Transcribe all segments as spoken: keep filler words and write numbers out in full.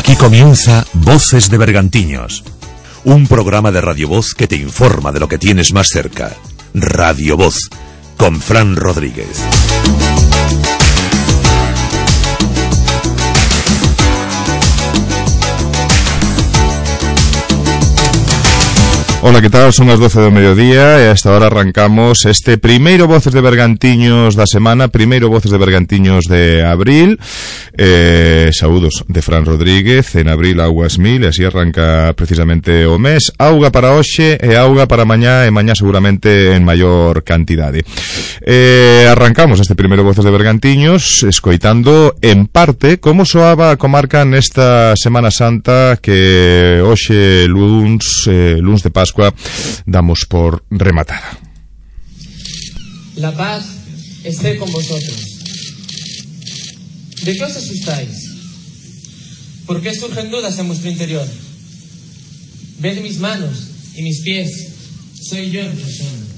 Aquí comienza Voces de Bergantiños, un programa de Radio Voz que te informa de lo que tienes más cerca. Radio Voz, con Fran Rodríguez. Ola, que tal? Son as doce do mediodía e a esta hora arrancamos este primeiro Voces de Bergantiños da semana, primeiro Voces de Bergantiños de abril. Eh, saúdos de Fran Rodríguez. En abril augas mil e así arranca precisamente o mes. Auga para hoxe e auga para mañá, e mañá seguramente en maior cantidade. Eh, arrancamos este primeiro Voces de Bergantiños escoitando en parte como soaba a comarca nesta Semana Santa que hoxe luns, eh, luns de Pascua damos por rematada. La paz esté con vosotros. ¿De qué os asustáis? ¿Por qué surgen dudas en vuestro interior? Ved mis manos y mis pies. Soy yo en persona.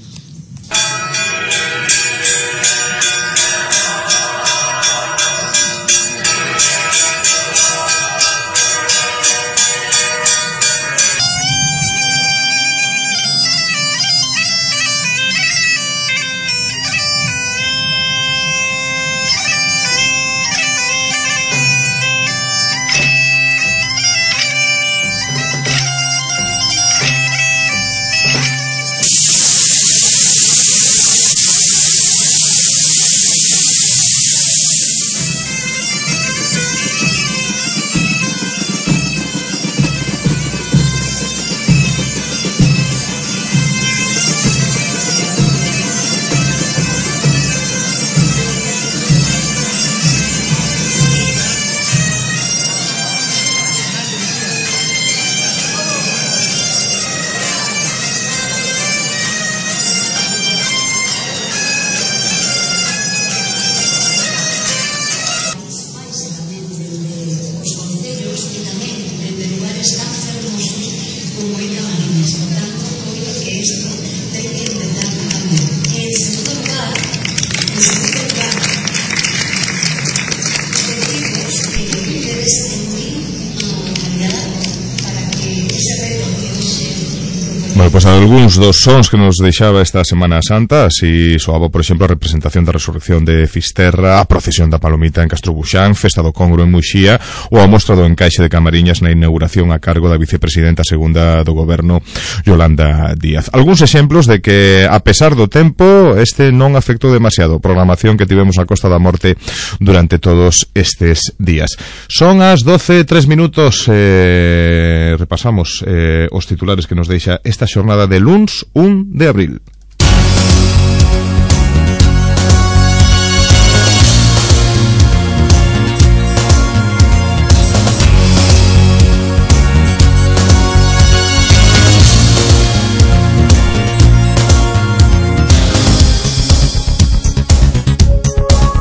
Bueno, pois pues algúns dos sons que nos deixaba esta Semana Santa, así soaba, por exemplo, a representación da Resurrección de Fisterra, a procesión da Palomita en Castrobuxán, Festa do Congro en Muxía, ou a mostra do encaixe de Camariñas na inauguración a cargo da vicepresidenta segunda do goberno, Yolanda Díaz. Algúns exemplos de que, a pesar do tempo, este non afectou demasiado a programación que tivemos a Costa da Morte durante todos estes días. Son as doce e tres minutos, eh, repasamos eh, os titulares que nos deixa esta xornada de luns un de abril.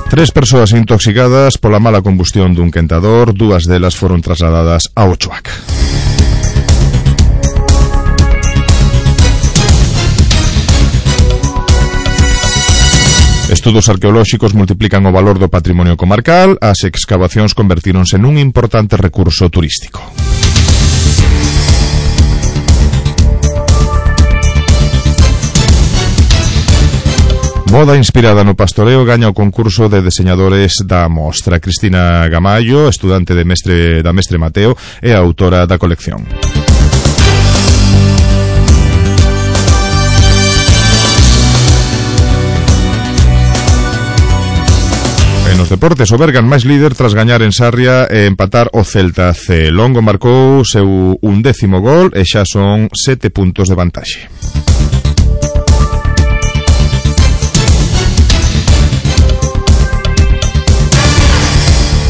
Tres persoas intoxicadas pola mala combustión dun quentador, dúas delas foron trasladadas a Ochoac. Estudos arqueolóxicos multiplican o valor do patrimonio comarcal, as excavacións convertíronse nun importante recurso turístico. Moda inspirada no pastoreo gaña o concurso de deseñadores da mostra. Cristina Gamallo, estudante de mestre da Mestre Mateo, é a autora da colección. Nos deportes, o Bergan máis líder tras gañar en Sarria e empatar o Celta C. Longo marcou seu undécimo gol e xa son sete puntos de vantaxe.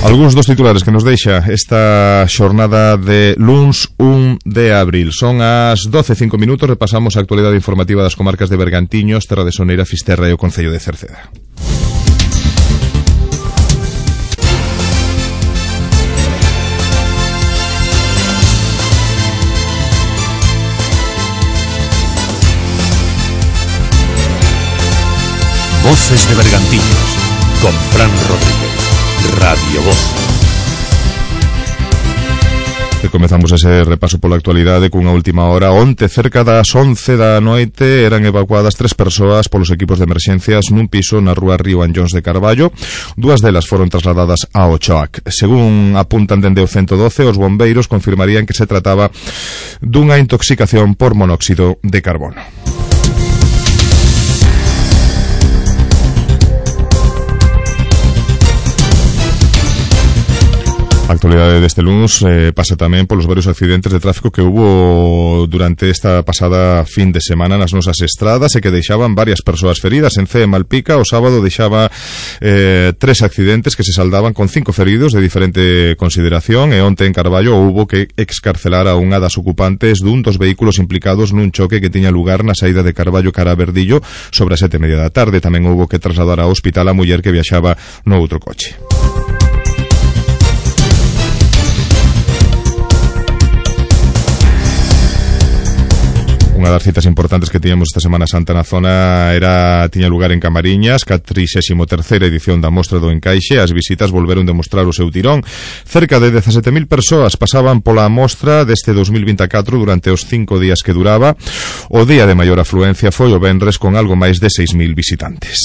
Algúns dos titulares que nos deixa esta xornada de luns un de abril. Son as doce e cinco minutos, repasamos a actualidade informativa das comarcas de Bergantiños, Terra de Soneira, Fisterra e o Concello de Cerceda. Voces de Bergantiños, con Fran Rodríguez. Radio Voz. Que comezamos ese repaso pola actualidade cunha última hora. Onte, cerca das once da noite, eran evacuadas tres persoas polos equipos de emerxencias nun piso na rúa Río Anllóns de Carballo. Dúas delas foron trasladadas a Ochoac. Según apuntan dende o ciento doce, os bombeiros confirmarían que se trataba dunha intoxicación por monóxido de carbono. A actualidade deste luns eh, pasa tamén polos varios accidentes de tráfico que hubo durante esta pasada fin de semana nas nosas estradas e que deixaban varias persoas feridas. En Cee, Malpica, o sábado deixaba eh, tres accidentes que se saldaban con cinco feridos de diferente consideración, e onte en Carballo houbo que excarcelar a unha das ocupantes dun dos vehículos implicados nun choque que tiña lugar na saída de Carballo cara a Verdillo sobre as sete e media da tarde. Tamén houbo que trasladar ao hospital a muller que viaxaba no outro coche. Unha das citas importantes que tiñamos esta Semana Santa na zona era tiña lugar en Camariñas, catrisésimo terceira edición da Mostra do Encaixe. As visitas volveron demostrar o seu tirón. Cerca de dezasete mil persoas pasaban pola mostra deste dos mil vinte e catro durante os cinco días que duraba. O día de maior afluencia foi o venres con algo máis de seis mil visitantes.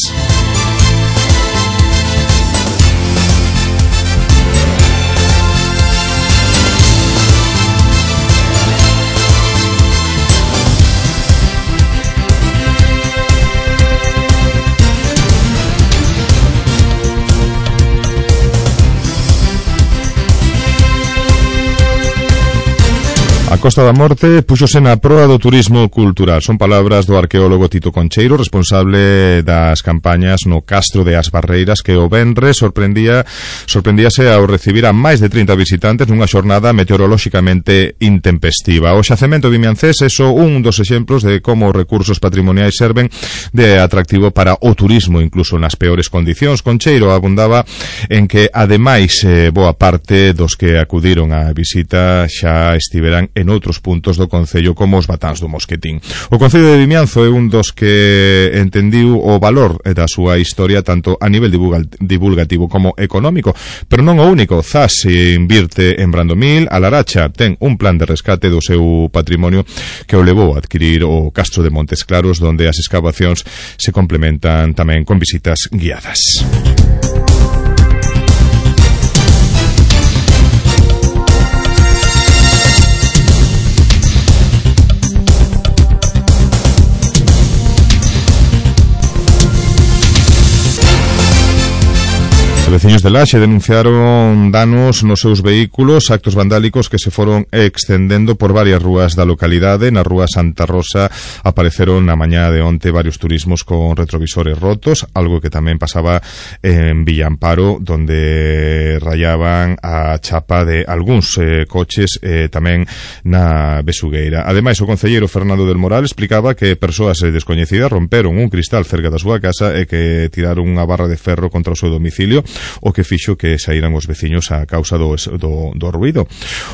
A Costa da Morte puxose na proa do turismo cultural. Son palabras do arqueólogo Tito Concheiro, responsable das campañas no Castro de As Barreiras, que o venres sorprendía sorprendíase ao recibir a máis de trinta visitantes nunha xornada meteorolóxicamente intempestiva. O xacemento vimiancés é só un dos exemplos de como os recursos patrimoniais serven de atractivo para o turismo, incluso nas peores condicións. Concheiro abundaba en que, ademais, eh, boa parte dos que acudiron á visita xa estiveran en outros puntos do concello, como os Batáns do Mosquetín. O concello de Vimianzo é un dos que entendiu o valor da súa historia tanto a nivel divulgativo como económico, pero non o único. Zas se invirte en Brandomil, a Laracha ten un plan de rescate do seu patrimonio que o levou a adquirir o Castro de Montes Claros, donde as excavacións se complementan tamén con visitas guiadas. Veciños de Laxe denunciaron danos nos seus vehículos, actos vandálicos que se foron extendendo por varias rúas da localidade. Na rúa Santa Rosa apareceron na mañá de onte varios turismos con retrovisores rotos, algo que tamén pasaba en Villamparo, donde rayaban a chapa de algúns eh, coches eh, tamén na Besugueira. Ademais, o concelleiro Fernando del Moral explicaba que persoas descoñecidas romperon un cristal cerca da súa casa e que tiraron unha barra de ferro contra o seu domicilio, o que fixo que saíran os veciños a causa do, do, do ruído.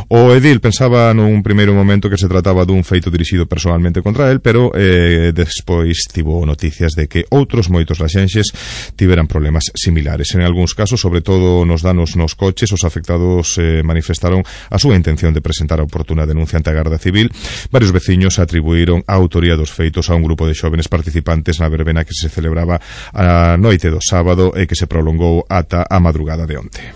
O edil pensaba nun primeiro momento que se trataba dun feito dirixido personalmente contra el, pero eh, despois tivo noticias de que outros moitos laxenxes tiveran problemas similares. En algúns casos, sobre todo nos danos nos coches, os afectados eh, manifestaron a súa intención de presentar a oportuna denuncia ante a Garda Civil. Varios veciños atribuíron a autoría dos feitos a un grupo de xóvenes participantes na verbena que se celebraba a noite do sábado e que se prolongou ata a madrugada de onte.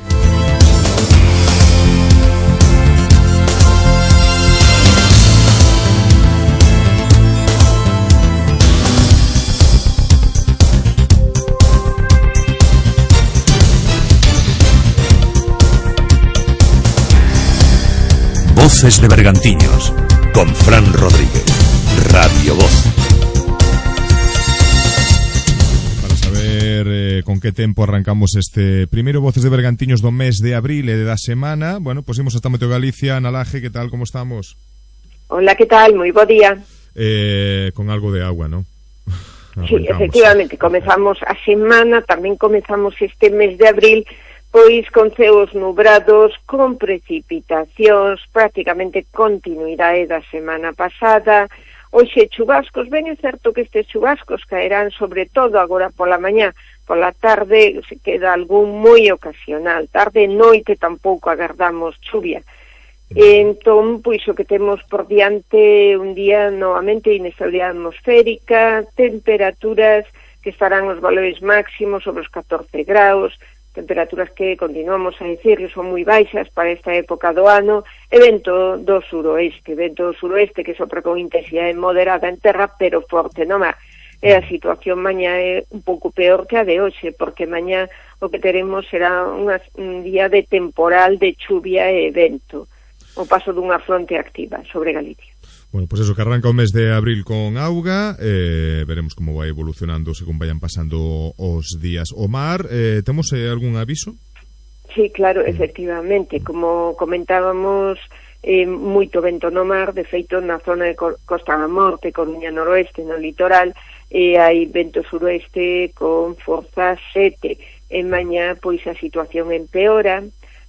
Voces de Bergantiños con Fran Rodríguez, Radio Voz. Eh, con que tempo arrancamos este primeiro Voces de Bergantiños do mes de abril e da semana. Bueno, pois imos hasta Meteo Galicia. Nalaje, que tal, como estamos? Hola, que tal? Moi bo día. Eh, con algo de agua, ¿no? Sí, efectivamente, comezamos a semana, tamén comezamos este mes de abril, pois con ceos nubrados, con precipitacións, prácticamente continuidade da semana pasada. Hoxe chubascos, ben é certo que estes chubascos caerán sobre todo agora pola mañá, pola tarde se queda algún moi ocasional, tarde e noite tampouco agardamos chuvia. Entón, pois o que temos por diante un día novamente inestabilidade atmosférica, temperaturas que estarán os valores máximos sobre os catorce graus, temperaturas que continuamos a dicir que son moi baixas para esta época do ano, e vento do suroeste, vento do suroeste que sopra con intensidade moderada en terra, pero forte no mar. E a situación mañá é un pouco peor que a de hoxe, porque mañá o que teremos será unha, un día de temporal, de chuvia e vento, o paso dunha fronte activa sobre Galicia. Bueno, pois pues eso, que arranca o mes de abril con auga, eh, veremos como vai evolucionando según vayan pasando os días. O mar, eh, temos eh, algún aviso? Sí, claro, efectivamente, como comentábamos, eh, moito vento no mar, de feito na zona de Costa da Morte, Coruña noroeste, no litoral, e eh, hai vento suroeste con forza sete, e mañá pois a situación empeora,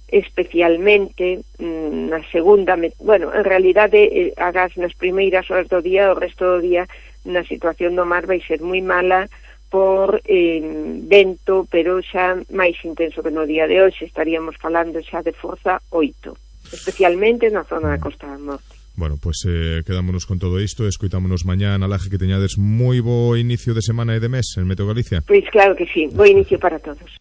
especialmente mm, na segunda, bueno, en realidade eh, agás nas primeiras horas do día, o resto do día na situación do mar vai ser moi mala por eh, vento, pero xa máis intenso que no día de hoxe, estaríamos falando xa de forza oito, especialmente na zona da Costa da Morte. Bueno, pois pues, eh, quedámonos con todo isto, escoitámonos mañá na laje, que teñades moi bo inicio de semana e de mes en Meteo Galicia. Pois claro que sí, bo inicio para todos.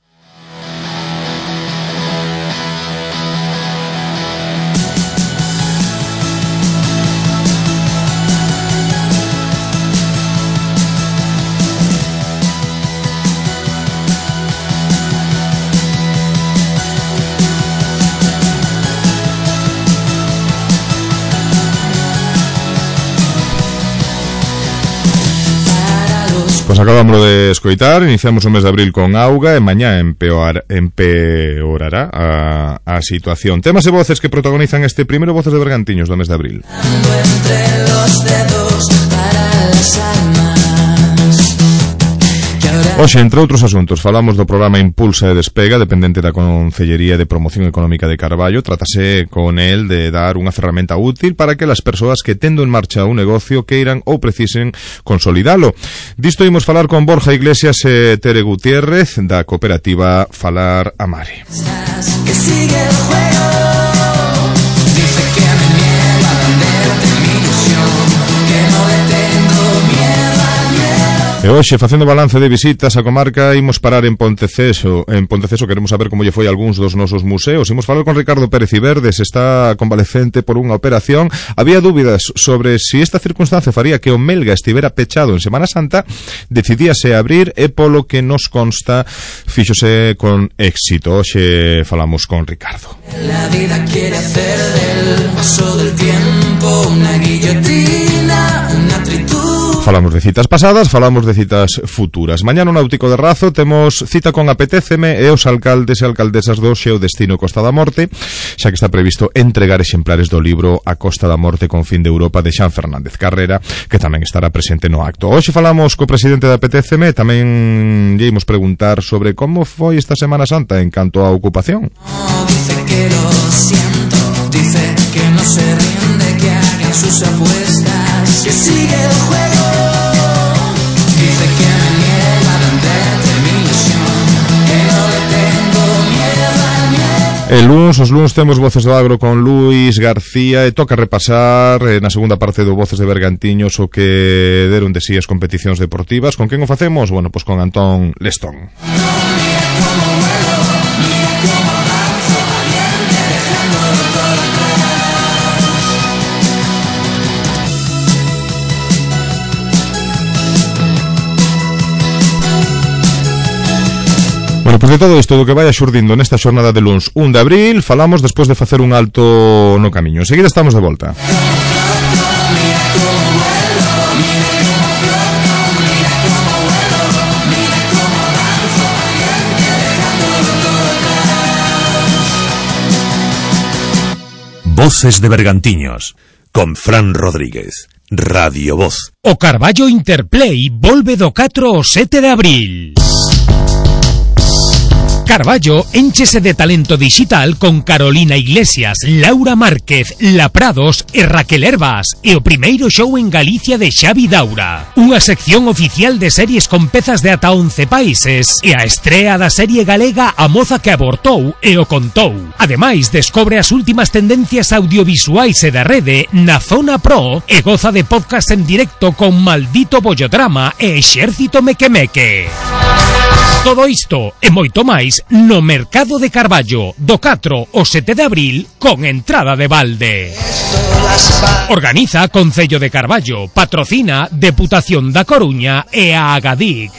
Pois acabamos de escoitar, iniciamos o mes de abril con auga e mañá empeorar, empeorará a, a situación. Temas e voces que protagonizan este primeiro Voces de Bergantiños do mes de abril. Entre los dedos para las almas. Hoxe, entre outros asuntos, falamos do programa Impulsa e Despega, dependente da Concellería de Promoción Económica de Carballo. Trátase con el de dar unha ferramenta útil para que as persoas que tendo en marcha un negocio queiran ou precisen consolidalo. Disto imos falar con Borja Iglesias e Tere Gutiérrez da cooperativa Falar a Mare. Que sigue el juego. Dice que me niega a venderte mi ilusión, que no le tengo miedo al miedo. E hoxe, facendo balance de visitas á comarca, imos parar en Ponteceso. En Ponteceso queremos saber como lle foi a algúns dos nosos museos. Imos falar con Ricardo Pérez Iverdes, está convalecente por unha operación. Había dúbidas sobre si esta circunstancia faría que o Melga estivera pechado en Semana Santa. Decidíase abrir e polo que nos consta fíxose con éxito. Hoxe falamos con Ricardo. La vida quiere hacer del paso del tiempo una guillotina, una tritud. Falamos de citas pasadas, falamos de citas futuras. Mañá no Náutico de Razo temos cita con Apetéceme e os alcaldes e alcaldesas do Xeo Destino Costa da Morte, xa que está previsto entregar exemplares do libro A Costa da Morte con fin de Europa de Xan Fernández Carrera, que tamén estará presente no acto. Hoxe falamos co presidente da Apetéceme, tamén lle imos preguntar sobre como foi esta Semana Santa en canto á ocupación. Oh, dice que lo siento, dice que no se rinde, que hagan sus apuestas, que sigue el juego. El luns, os luns temos Voces do Agro con Luis García e toca repasar eh, na segunda parte do Voces de Bergantiños o que deron de si as competicións deportivas. Con quen o facemos? Bueno, pois con Antón Lestón. Bueno, pois de todo isto do que vai xurdindo nesta xornada de luns un de abril, falamos despois de facer un alto no camiño. Enseguida estamos de volta. Voces de Bergantiños, con Fran Rodríguez, Radio Voz. O Carballo Interplay volve do catro ao sete de abril. Carballo énchese de talento digital con Carolina Iglesias, Laura Márquez, La Prados e Raquel Herbas e o primeiro show en Galicia de Xavi Daura. Unha sección oficial de series con pezas de ata once países e a estrea da serie galega A moza que abortou e o contou. Ademais, descobre as últimas tendencias audiovisuais e da rede na Zona Pro e goza de podcast en directo con Maldito Bollodrama e Exército Mequemeque. Todo isto e moito máis no Mercado de Carballo do catro ao sete de abril con entrada de balde. Organiza Concello de Carballo, patrocina Deputación da Coruña e a Agadic.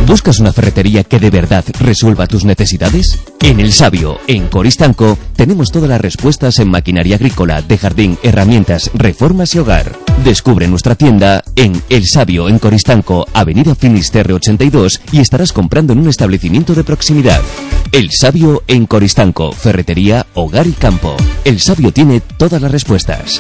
¿Buscas una ferretería que de verdad resuelva tus necesidades? En El Sabio, en Coristanco, tenemos todas las respuestas en maquinaria agrícola, de jardín, herramientas, reformas y hogar. Descubre nuestra tienda en El Sabio, en Coristanco, Avenida Finisterre ochenta y dos, y estarás comprando en un establecimiento de proximidad. El Sabio en Coristanco, ferretería, hogar y campo. El Sabio tiene todas las respuestas.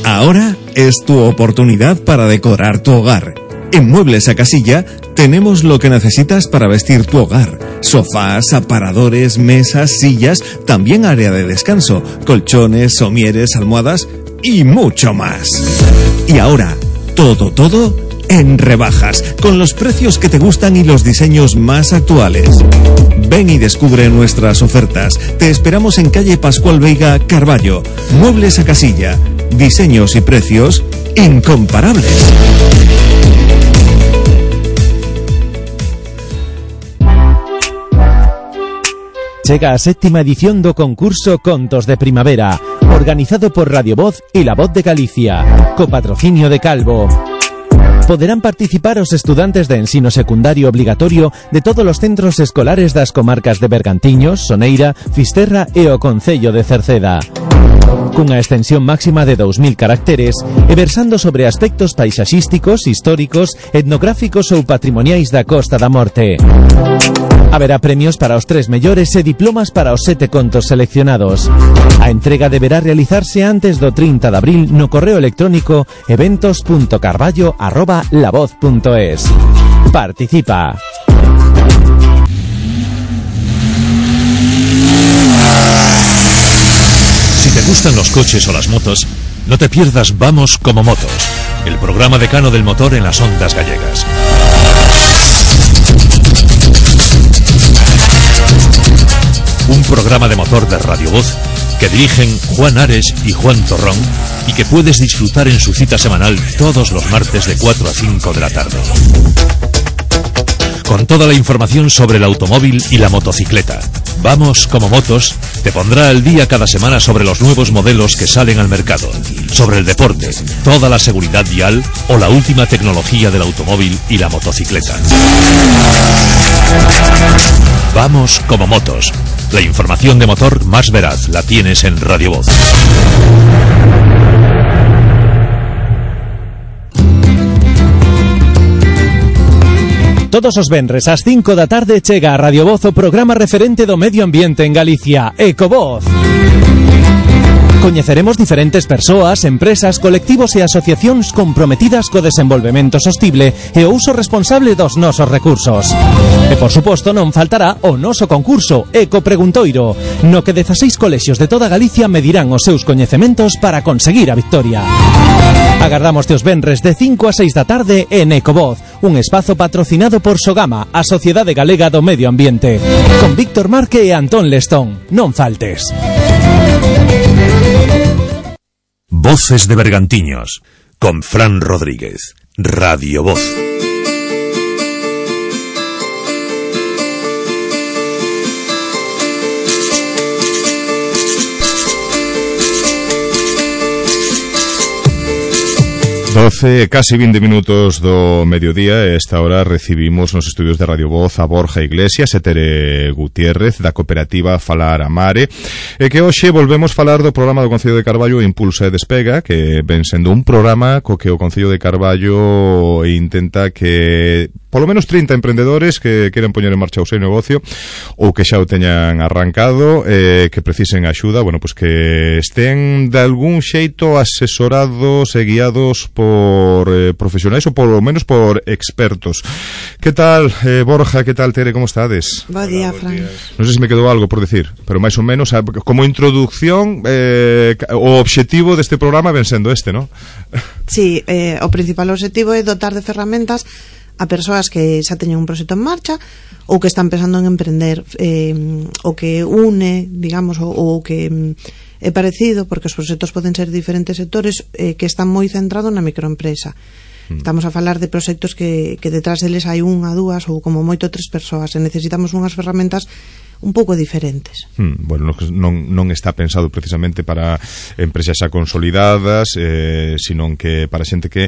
Ahora es tu oportunidad para decorar tu hogar. En Muebles a Casilla tenemos lo que necesitas para vestir tu hogar. Sofás, aparadores, mesas, sillas, también área de descanso, colchones, somieres, almohadas y mucho más. Y ahora, todo, todo en rebajas, con los precios que te gustan y los diseños más actuales. Ven y descubre nuestras ofertas. Te esperamos en calle Pascual Veiga, Carballo. Muebles a Casilla. Diseños y precios incomparables. Chega a séptima edición do concurso Contos de Primavera, organizado por Radio Voz e La Voz de Galicia, co patrocinio de Calvo. Poderán participar os estudantes de ensino secundario obligatorio de todos os centros escolares das comarcas de Bergantiños, Soneira, Fisterra e o Concello de Cerceda. Cunha extensión máxima de dous mil caracteres e versando sobre aspectos paisaxísticos, históricos, etnográficos ou patrimoniais da Costa da Morte. Haberá premios para os tres mellores e diplomas para os sete contos seleccionados. A entrega deberá realizarse antes do trinta de abril no correo electrónico eventos punto carballo arroba lavoz punto es. Participa. Si te gustan los coches o las motos, no te pierdas Vamos como Motos, el programa decano del motor en las ondas gallegas. Un programa de motor de Radio Voz que dirigen Juan Ares y Juan Torrón y que puedes disfrutar en su cita semanal todos los martes de cuatro a cinco de la tarde. Con toda la información sobre el automóvil y la motocicleta. Vamos como Motos te pondrá al día cada semana sobre los nuevos modelos que salen al mercado, sobre el deporte, toda la seguridad vial o la última tecnología del automóvil y la motocicleta. Vamos como Motos. La información de motor más veraz la tienes en Radio Voz. Todos os venres ás cinco da tarde chega a Radio Voz o programa referente do medio ambiente en Galicia, Ecovoz. Coñeceremos diferentes persoas, empresas, colectivos e asociacións comprometidas co desenvolvemento sostible e o uso responsable dos nosos recursos. E, por suposto, non faltará o noso concurso Eco Preguntoiro, no que dezaseis colexios de toda Galicia medirán os seus coñecementos para conseguir a victoria. Agardamos os venres de cinco a seis da tarde en Ecovoz, un espazo patrocinado por Sogama, a Sociedade Galega do Medio Ambiente, con Víctor Marque e Antón Lestón. Non faltes. Voces de Bergantiños, con Fran Rodríguez, Radio Voz. doce, casi veinte minutos do mediodía. E esta hora recibimos nos estudios de Radio Voz a Borja Iglesias e Tere Gutiérrez da cooperativa Falar a Mare, e que hoxe volvemos falar do programa do Concello de Carballo Impulsa e Despega, que ven sendo un programa co que o Concello de Carballo intenta que polo menos trinta emprendedores que queiran poñer en marcha o seu negocio ou que xa o teñan arrancado, eh, que precisen axuda, bueno, pues que estén de algún xeito asesorados e guiados por eh, profesionais ou polo menos por expertos. Que tal, eh, Borja, que tal, Tere, como estades? Bo día, Fran. Non sei se me quedou algo por decir, pero máis ou menos como introducción, eh, o obxectivo deste programa ven sendo este, non? Sí, eh, o principal objetivo é dotar de ferramentas a persoas que xa teñen un proxecto en marcha ou que están pensando en emprender, eh, o que une, digamos, o, o que é parecido, porque os proxectos poden ser diferentes sectores, eh, que están moi centrados na microempresa. Estamos a falar de proxectos que, que detrás deles hai unha, dúas ou como moito tres persoas, e necesitamos unhas ferramentas un pouco diferentes. Hmm, bueno, non, non está pensado precisamente para empresas xa consolidadas, eh, sino que para xente que...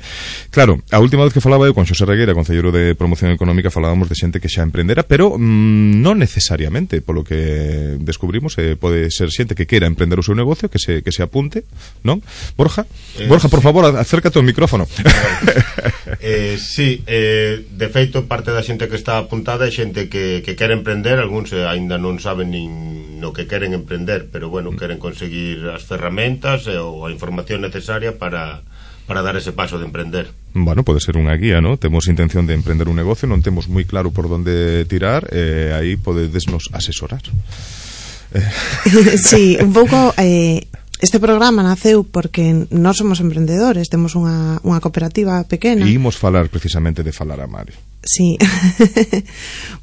Claro, a última vez que falaba eu con Xosé Regueira, concelleiro de Promoción Económica, falábamos de xente que xa emprendera, pero mm, non necesariamente, polo que descubrimos, eh, pode ser xente que queira emprender o seu negocio, que se, que se apunte, non? Borja? Eh, Borja, por sí. favor, acércate ao micrófono. eh, sí, eh, de feito, parte da xente que está apuntada é xente que, que quere emprender, algúns eh, aínda non saben nin no que queren emprender, pero bueno, queren conseguir as ferramentas e, ou a información necesaria para, para dar ese paso de emprender. Bueno, pode ser unha guía, ¿no? Temos intención de emprender un negocio, non temos moi claro por onde tirar, e eh, aí podedesnos asesorar. Sí, un pouco... Eh... Este programa naceu porque nós somos emprendedores, temos unha, unha cooperativa pequena. E imos falar precisamente de Falar a Mare. Sí.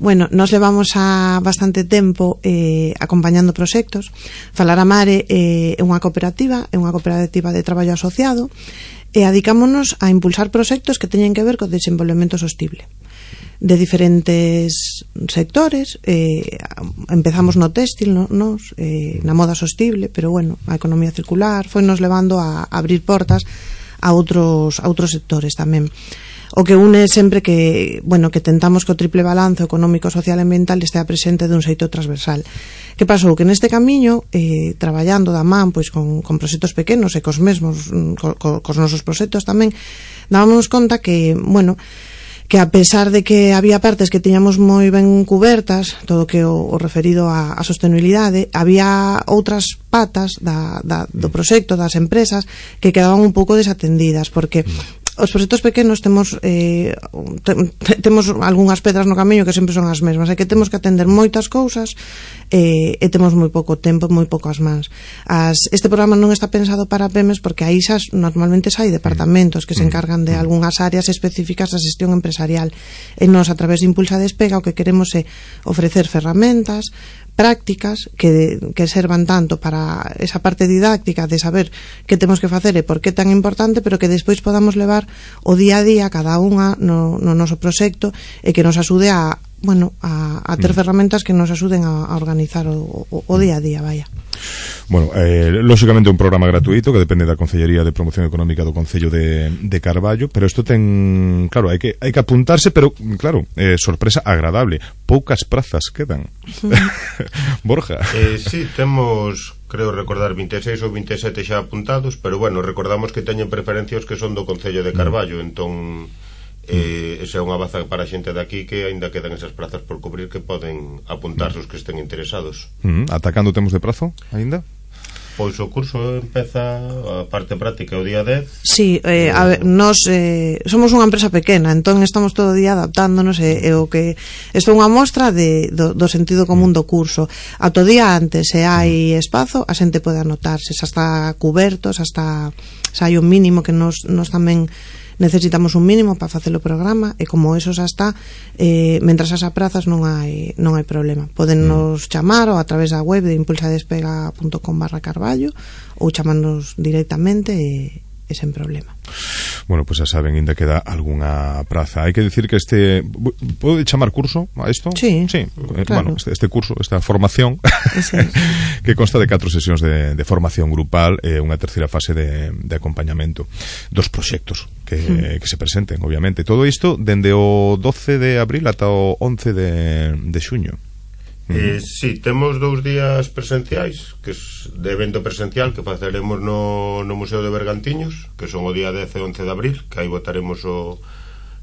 Bueno, nos levamos a bastante tempo eh, acompañando proxectos. Falar a Mare eh, é unha cooperativa, é unha cooperativa de traballo asociado, e adicámonos a impulsar proxectos que teñen que ver co desenvolvemento sostible de diferentes sectores. eh, empezamos no téxtil, no, nos, eh, na moda sostible, pero bueno, a economía circular foi nos levando a, a abrir portas a outros a outros sectores tamén. O que une sempre que, bueno, que tentamos que o triple balanzo económico, social e ambiental estea presente dun xeito transversal. Que pasou? Que neste camiño, eh, traballando da man pois con, con proxectos pequenos e cos mesmos, co, co, cos nosos proxectos tamén, dábamos conta que, bueno, que a pesar de que había partes que tiñamos moi ben cubertas, todo que o, o referido a, a sostenibilidade, había outras patas da, da, do proxecto, das empresas, que quedaban un pouco desatendidas, porque os proxectos pequenos temos eh, te, temos algunhas pedras no camiño que sempre son as mesmas, é que temos que atender moitas cousas eh, e temos moi pouco tempo, moi poucas mans. As, este programa non está pensado para pymes porque aí xa normalmente hai departamentos que se encargan de algunhas áreas específicas da xestión empresarial, e nós a través de Impulsa Despega o que queremos é ofrecer ferramentas prácticas que, que servan tanto para esa parte didáctica de saber que temos que facer e por que tan importante, pero que despois podamos levar o día a día cada unha no, no noso proxecto, e que nos axude a, bueno, a, a ter mm. ferramentas que nos axuden a, a organizar o, o, o día a día, vaya. Bueno, eh, lógicamente un programa gratuito que depende da Concellería de Promoción Económica do Concello de, de Carballo, pero isto ten, claro, hai que hai que apuntarse, pero claro, eh, sorpresa agradable, poucas prazas quedan. Borja. Eh, sí, temos, creo recordar, vinte e seis ou vinte e sete xa apuntados, pero bueno, recordamos que teñen preferencias que son do Concello de Carballo, mm. entón eh, esa é unha baza para a xente de aquí que aínda quedan esas prazas por cubrir, que poden apuntarse os que estén interesados. Mm, ata cando temos de prazo aínda? Pois o curso empeza a parte práctica o día dez. Sí, eh, a ver, nos eh, somos unha empresa pequena, entón estamos todo o día adaptándonos, e, e o que isto é unha mostra de, do, do sentido común do curso. Ata o día antes, se hai espazo, a xente pode anotarse, xa está cuberto, xa está, xa hai un mínimo que nos, nos tamén necesitamos un mínimo para facer o programa, e como eso xa está, eh, mentras as prazas non hai non hai problema. Poden nos chamar ou a través da web de impulsadespega punto com barra carballo, ou chamarnos directamente e, e sen problema. Bueno, pues xa saben, ainda queda algunha praza. Hai que decir que este... Pode chamar curso a isto? Sí, sí. Claro. Bueno, este, este curso, esta formación sí. que consta de catro sesións de, de formación grupal e unha terceira fase de, de acompañamento dos proxectos que, mm. que se presenten, obviamente. Todo isto dende o doce de abril ata o once de, de xuño. Eh, sí, temos dous días presenciais, que es de evento presencial que faceremos no, no Museo de Bergantiños, que son o día dez e once de abril, que aí votaremos o,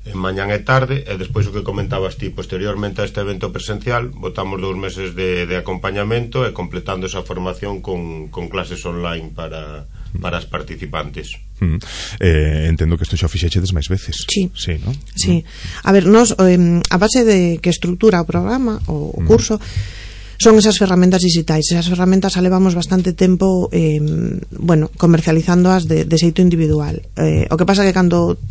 en mañán e tarde, e despois o que comentabas ti, posteriormente a este evento presencial botamos dous meses de, de acompañamento e completando esa formación con, con clases online para, para as participantes. Mm. Eh, entendo que isto xa o fixechedes máis veces. Sí, sí, ¿no? Sí. A ver, nos, eh, a base de que estrutura o programa, o, o curso, mm. son esas ferramentas digitais. Esas ferramentas a levamos bastante tempo eh, bueno, comercializándoas de, de xeito individual. Eh, o que pasa que cando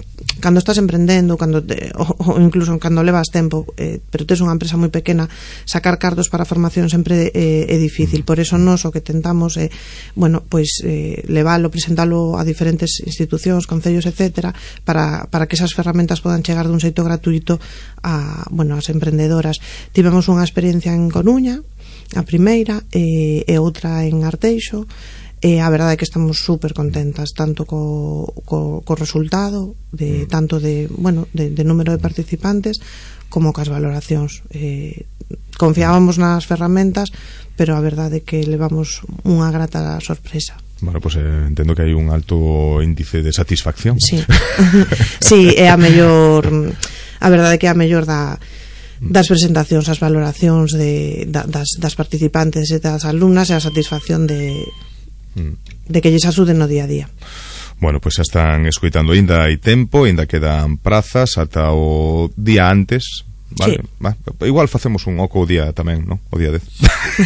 cando estás emprendendo, cando te, o, o incluso cando levas tempo, eh, pero tes unha empresa moi pequena, sacar cartos para formación sempre eh, é difícil. Por eso nos o que tentamos é, bueno, pois eh, levalo, presentalo a diferentes institucións, concellos, etcétera, para, para que esas ferramentas podan chegar dun xeito gratuito a, bueno, as emprendedoras. Tivemos unha experiencia en Coruña, a primeira, e, e outra en Arteixo, e a verdade é que estamos super contentas tanto co, co, co resultado de, tanto de, bueno, de, de número de participantes como cas valoracións. Eh, confiábamos nas ferramentas, pero a verdade é que levamos unha grata sorpresa. Bueno, pues eh, entendo que hai un alto índice de satisfacción. Sí, sí, é a mellor, a verdade é que é a mellor da das presentacións, as valoracións de, da, das, das participantes e das alumnas e a satisfacción de, de que lles axuden no día a día. Bueno, pois pues xa están escoitando, ainda hai tempo, ainda quedan prazas ata o día antes, vale? Sí. Va, igual facemos un oco o día tamén, ¿no? O día dez.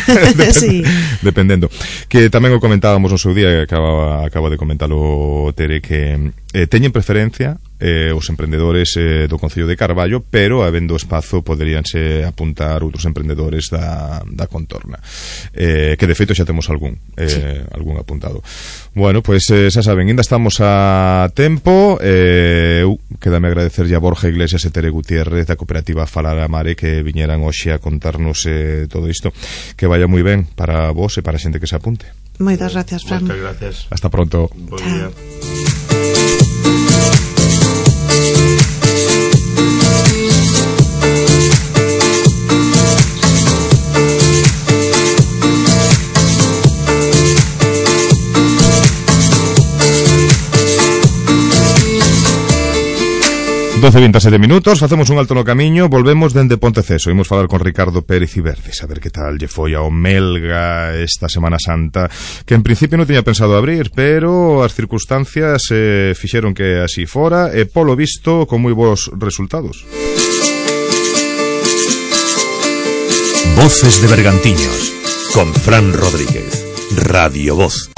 Depende, sí. Dependendo. Que tamén o comentábamos no seu día, acaba, acaba de comentalo Tere, que eh, teñen preferencia eh, os emprendedores eh, do Concello de Carballo, pero habendo espazo poderíanse apuntar outros emprendedores da, da contorna, eh, que de feito xa temos algún eh, sí. algún apuntado. Bueno, pois pues, eh, xa saben, ainda estamos a tempo. eh, uh, quédame agradecerlle a Borja Iglesias e Tere Gutiérrez da cooperativa Falar a Mare que viñeran hoxe a contarnos eh, todo isto. Que vaya moi ben para vos e para a xente que se apunte. Moitas gracias, Fran. Moitas gracias. Hasta pronto. Buen día. doce e veintesete minutos, facemos un alto no camiño, volvemos dende Ponteceso. Imos falar con Ricardo Pérez Iberdes, a ver que tal lle foi ao Melga esta Semana Santa, que en principio non tiña pensado abrir, pero as circunstancias eh, fixeron que así fora, e polo visto con moi bons resultados. Voces de Bergantiños, con Fran Rodríguez, Radio Voz.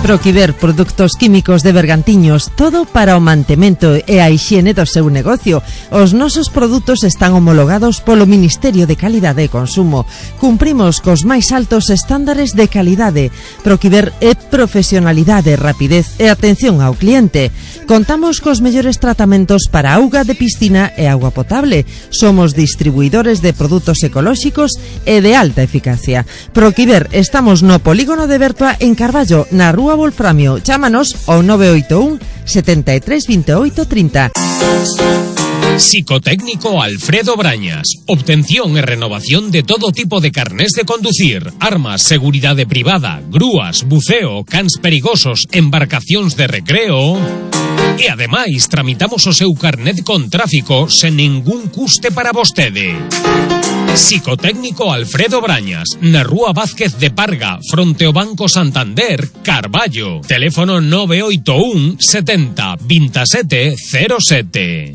Proquiver Produtos Químicos de Bergantiños, todo para o mantemento e a hixiene do seu negocio. Os nosos produtos están homologados polo Ministerio de Calidade e Consumo. Cumprimos cos máis altos estándares de calidade. Proquiver é profesionalidade, rapidez e atención ao cliente. Contamos cos mellores tratamentos para auga de piscina e auga potable. Somos distribuidores de produtos ecolóxicos e de alta eficacia. Proquiver, estamos no polígono de Bertua en Carballo, na Rúa Wolframio. Chámanos ao nove oito un, setenta e tres, veintiocho, treinta. Psicotécnico Alfredo Brañas. Obtención e renovación de todo tipo de carnés de conducir, armas, seguridade privada, grúas, buceo, cans perigosos, embarcacións de recreo. E ademais tramitamos o seu carnet con tráfico sen ningún custe para vostede. Psicotécnico Alfredo Brañas, na Rúa Vázquez de Parga, fronte ao Banco Santander, Carballo. Teléfono nove oito un, setenta, veintisiete, cero sete.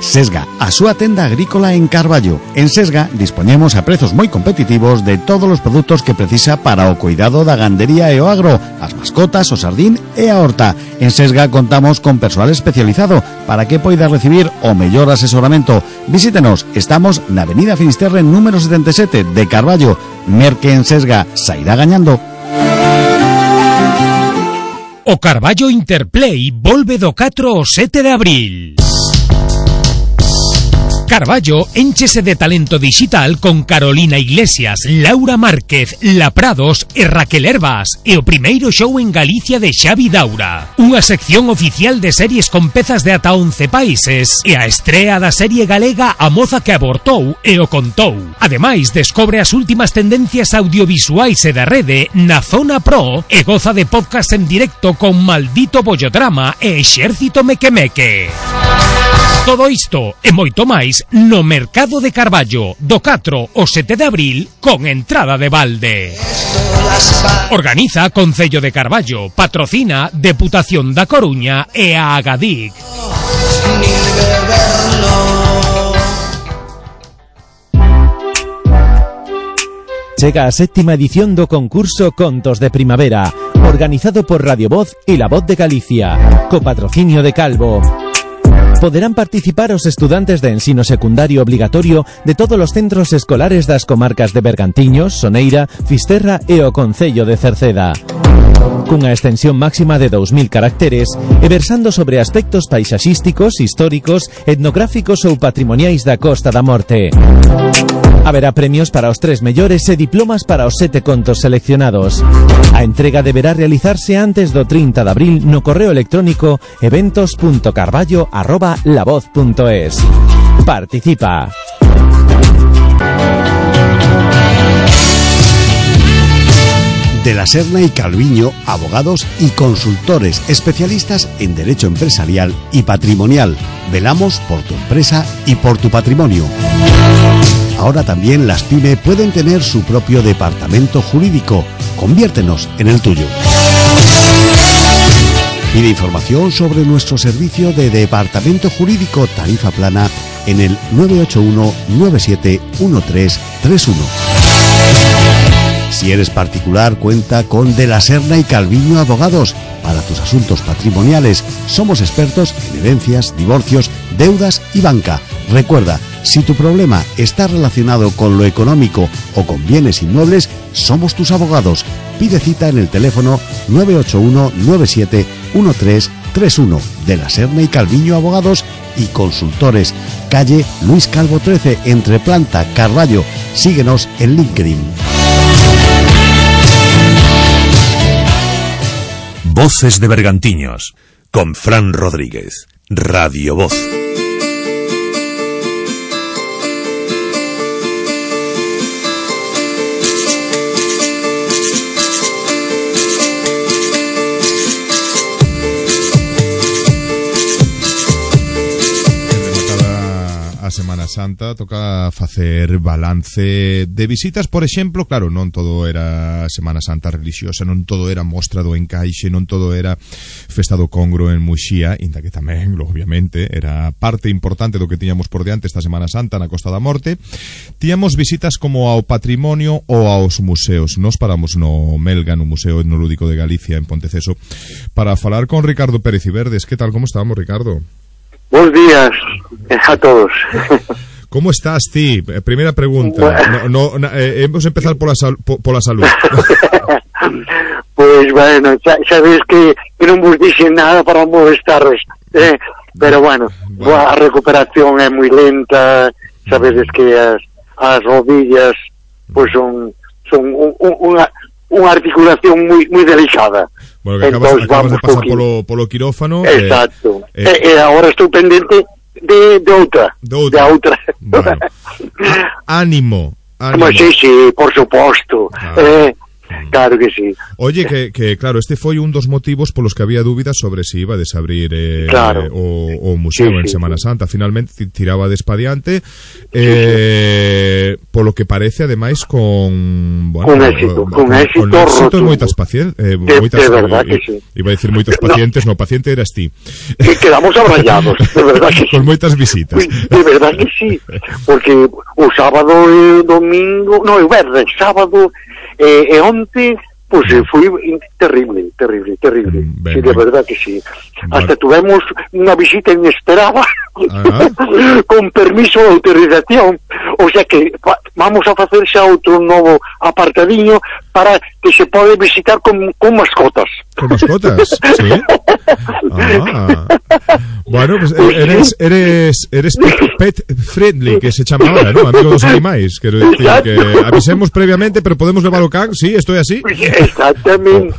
Sesga, a súa tenda agrícola en Carballo. En Sesga dispoñemos a prezos moi competitivos de todos os produtos que precisa para o cuidado da gandería e o agro, as mascotas, o sardín e a horta. En Sesga contamos con persoal especializado para que poida recibir o mellor asesoramento. Visítenos, estamos na Avenida Finisterre número setenta e sete de Carballo. Merque en Sesga, sairá gañando. O Carballo Interplay volve do catro ao sete de abril. Carballo énchese de talento digital con Carolina Iglesias, Laura Márquez, La Prados e Raquel Herbas e o primeiro show en Galicia de Xavi Daura. Unha sección oficial de series con pezas de ata once países e a estrea da serie galega A moza que abortou e o contou. Ademais, descobre as últimas tendencias audiovisuais e da rede na Zona Pro e goza de podcast en directo con Maldito Bollodrama e Exército Mequemeque. Todo isto e moito máis no Mercado de Carballo do catro ao sete de abril con entrada de balde. Organiza Concello de Carballo, patrocina Deputación da Coruña e a Agadic. Chega a séptima edición do concurso Contos de Primavera, organizado por Radio Voz e La Voz de Galicia, co patrocinio de Calvo. Poderán participar os estudantes de ensino secundario obligatorio de todos os centros escolares das comarcas de Bergantiños, Soneira, Fisterra e o Concello de Cerceda. Cunha extensión máxima de dous mil caracteres e versando sobre aspectos paisaxísticos, históricos, etnográficos ou patrimoniais da Costa da Morte. Haberá premios para os tres mellores e diplomas para os sete contos seleccionados. A entrega deberá realizarse antes do trinta de abril no correo electrónico eventos punto carballo arroba lavoz punto es. Participa. De la Serna y Calviño, abogados y consultores especialistas en derecho empresarial y patrimonial. Velamos por tu empresa y por tu patrimonio. Ahora también las PYME pueden tener su propio departamento jurídico. Conviértenos en el tuyo. Pide información sobre nuestro servicio de departamento jurídico tarifa plana en el nueve ocho uno nueve siete uno tres tres uno. Si eres particular, cuenta con De la Serna y Calviño Abogados para tus asuntos patrimoniales. Somos expertos en herencias, divorcios, deudas y banca. Recuerda, si tu problema está relacionado con lo económico o con bienes inmuebles, somos tus abogados. Pide cita en el teléfono nueve ocho uno nueve siete uno tres tres uno. De la Serna y Calviño Abogados y Consultores. Calle Luis Calvo trece, entre Planta, Carballo. Síguenos en LinkedIn. Voces de Bergantiños, con Fran Rodríguez, Radio Voz. A Semana Santa toca facer balance de visitas, por exemplo, claro, non todo era Semana Santa religiosa, non todo era Mostra do Encaixe, non todo era Festa do Congro en Muxía, inda que tamén, obviamente, era parte importante do que tiñamos por diante esta Semana Santa na Costa da Morte. Tiñamos visitas como ao patrimonio ou aos museos. Nos paramos no Melga, no Museo Etnolúdico de Galicia, en Ponteceso, para falar con Ricardo Pérez Iverdes. Que tal, como estamos, Ricardo? Buenos días a todos. ¿Cómo estás, ti? Primera pregunta. Bueno. No, no, eh, hemos empezado por la, sal, por, por la salud. Pues bueno, sabes que, que non vos dixen nada para molestaros, eh, pero bueno, bueno, a recuperación é moi lenta, sabedes que as, as rodillas pues son, son un, un, unha, unha articulación moi, moi delicada. Bueno, que acabas, acabas de pasar polo, polo quirófano. Exacto. Eh, eh, eh, agora estou pendente de, de outra. De outra. De outra. Bueno. Ánimo. Ánimo. Sí, sí, por suposto. Ah. Eh, Claro que sí. Oye, que, que claro, este foi un dos motivos polos que había dúbidas sobre se si iba a desabrir eh, claro. o, o museo sí, en sí, Semana sí. Santa. Finalmente tiraba despadiante eh, sí, sí. Polo que parece, ademais, con bueno, con éxito, con, con éxito, con éxito moitas pacientes eh, de, moitas, de verdad eh, que sí. Iba a decir moitos pacientes, no, no paciente eras ti. Que quedamos abrallados, de verdad que sí. Con moitas visitas. De verdad que sí, porque o sábado e domingo, no, o verdes, sábado e eh, onte, pues eh, foi terrible, terrible, terrible. Ben, sí, de ben. verdad que sí. Vale. Hasta tuvemos unha visita inesperada Ah. Con permiso de autorización. O sea que va, vamos a facer xa outro novo apartadiño para que se pode visitar con, con mascotas. Con mascotas, sí. Ah. Bueno, pues eres eres eres pet friendly, que se chama ahora, ¿no? Amigo dos animais. Quero dicir que avisemos previamente, pero podemos levar o can, sí, estoy así. Pues exactamente.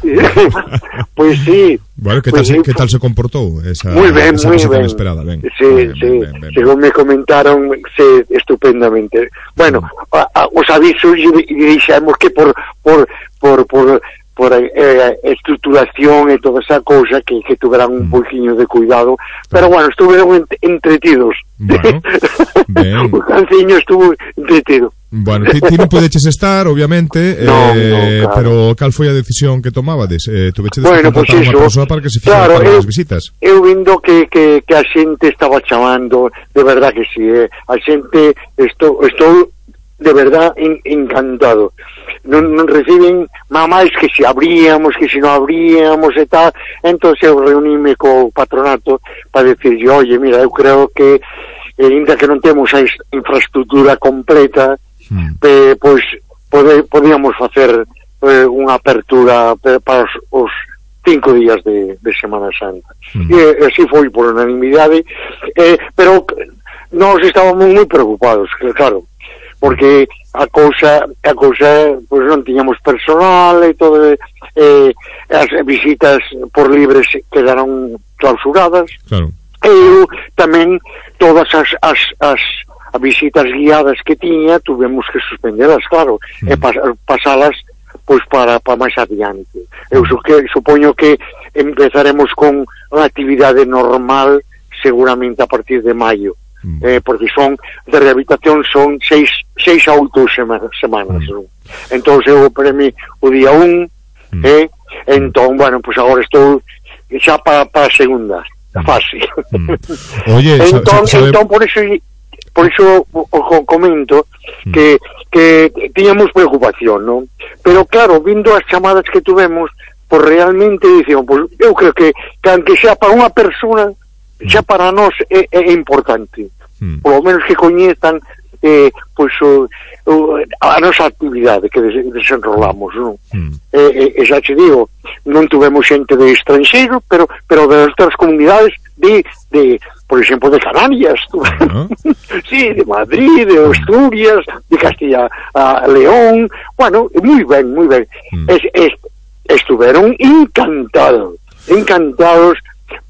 Pues sí. Bueno, ¿qué pues tal, sí. se, ¿qué tal se comportou esa, Muy ben, esa muy visita ben. inesperada? Ben. Sí, ben, sí. Ben, ben, ben. Según me comentaron, sí, estupendamente. Bueno, a, a, os avisos y dixemos que por por por por por eh, estructuración e toda esa cousa que, que tuveran un poquinho de cuidado, pero bueno, estuveron ent entretidos. Bueno, ben. O canciño estuvo entretido. Bueno, ti, ti non podeches estar, obviamente, no, eh, no, claro. pero cal foi a decisión que tomabades? Eh, tuvechedes bueno, que pues contratar eso, unha persoa para que se fixera claro, para eu, as visitas? Eu vindo que, que, que a xente estaba chamando, de verdad que sí, eh. A xente, estou, estou de verdad en, encantado. Non, non reciben mamás que se abríamos, que se non abríamos e tal. Entonces eu reuníme co patronato para decirlle, oye, mira, eu creo que eh, ainda que non temos a infraestructura completa, mm. eh, pois pode, podíamos facer eh, unha apertura para os, os cinco días de, de Semana Santa. Mm. E así foi por unanimidade, eh, pero nós estábamos moi preocupados, claro, porque a cousa a cousa pois non tiñamos personal e todo, eh, as visitas por libres quedaron clausuradas. Claro. E eu tamén todas as, as, as visitas guiadas que tiña tuvemos que suspenderlas, claro, mm. e pas, pasalas pois para, para máis adiante. Eu su, que, supoño que empezaremos con unha actividade normal seguramente a partir de maio. Mm. Eh, porque son de rehabilitación son seis, seis a oito semanas, semanas mm. ¿no? Entón eu premi o día un mm. eh, entón, bueno, pues agora estou xa para, para a segunda fase. Mm. Oye, entón, sabe... entón por eso por eso o, o comento mm. que, que tiñamos preocupación, ¿no? Pero claro, vindo as chamadas que tuvemos, pues realmente dicimos, pues eu creo que, que aunque xa para unha persona xa para nós é, é importante, mm. por lo menos que coñezan eh, pois, o, o, a nosa actividade que des, desenrolamos, non? Mm. Eh, eh, xa te digo, non tuvemos xente de estranxeiro, pero pero de outras comunidades de, de por exemplo, de Canarias, uh-huh. sí, de Madrid, de Asturias, de Castilla a León, bueno, moi ben, moi ben. Mm. Es, es, estuveron encantados, encantados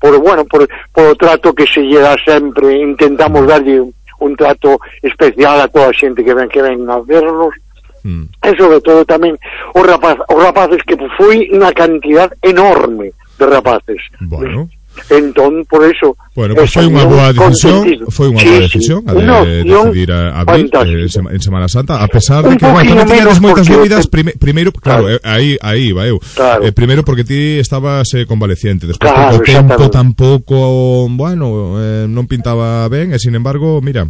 por, bueno, por, por o trato que se lle dá sempre. Intentamos darlle un, un trato especial a toda a xente que ven que ven a vernos, mm. e sobre todo tamén os, rapaz, os rapaces, que foi unha cantidad enorme de rapaces. Bueno. Entón, por eso... Bueno, pues foi unha boa decisión, foi unha boa decisión a de, decidir a abrir eh, en Semana Santa, a pesar de que, bueno, tamén tiñades moitas dúbidas, prime, primeiro, claro, claro. Eh, aí aí va eu. Claro. Eh, primeiro porque ti estabas eh, convaleciente, despois claro, porque o tempo tampouco, bueno, eh, non pintaba ben, e sin embargo, mira.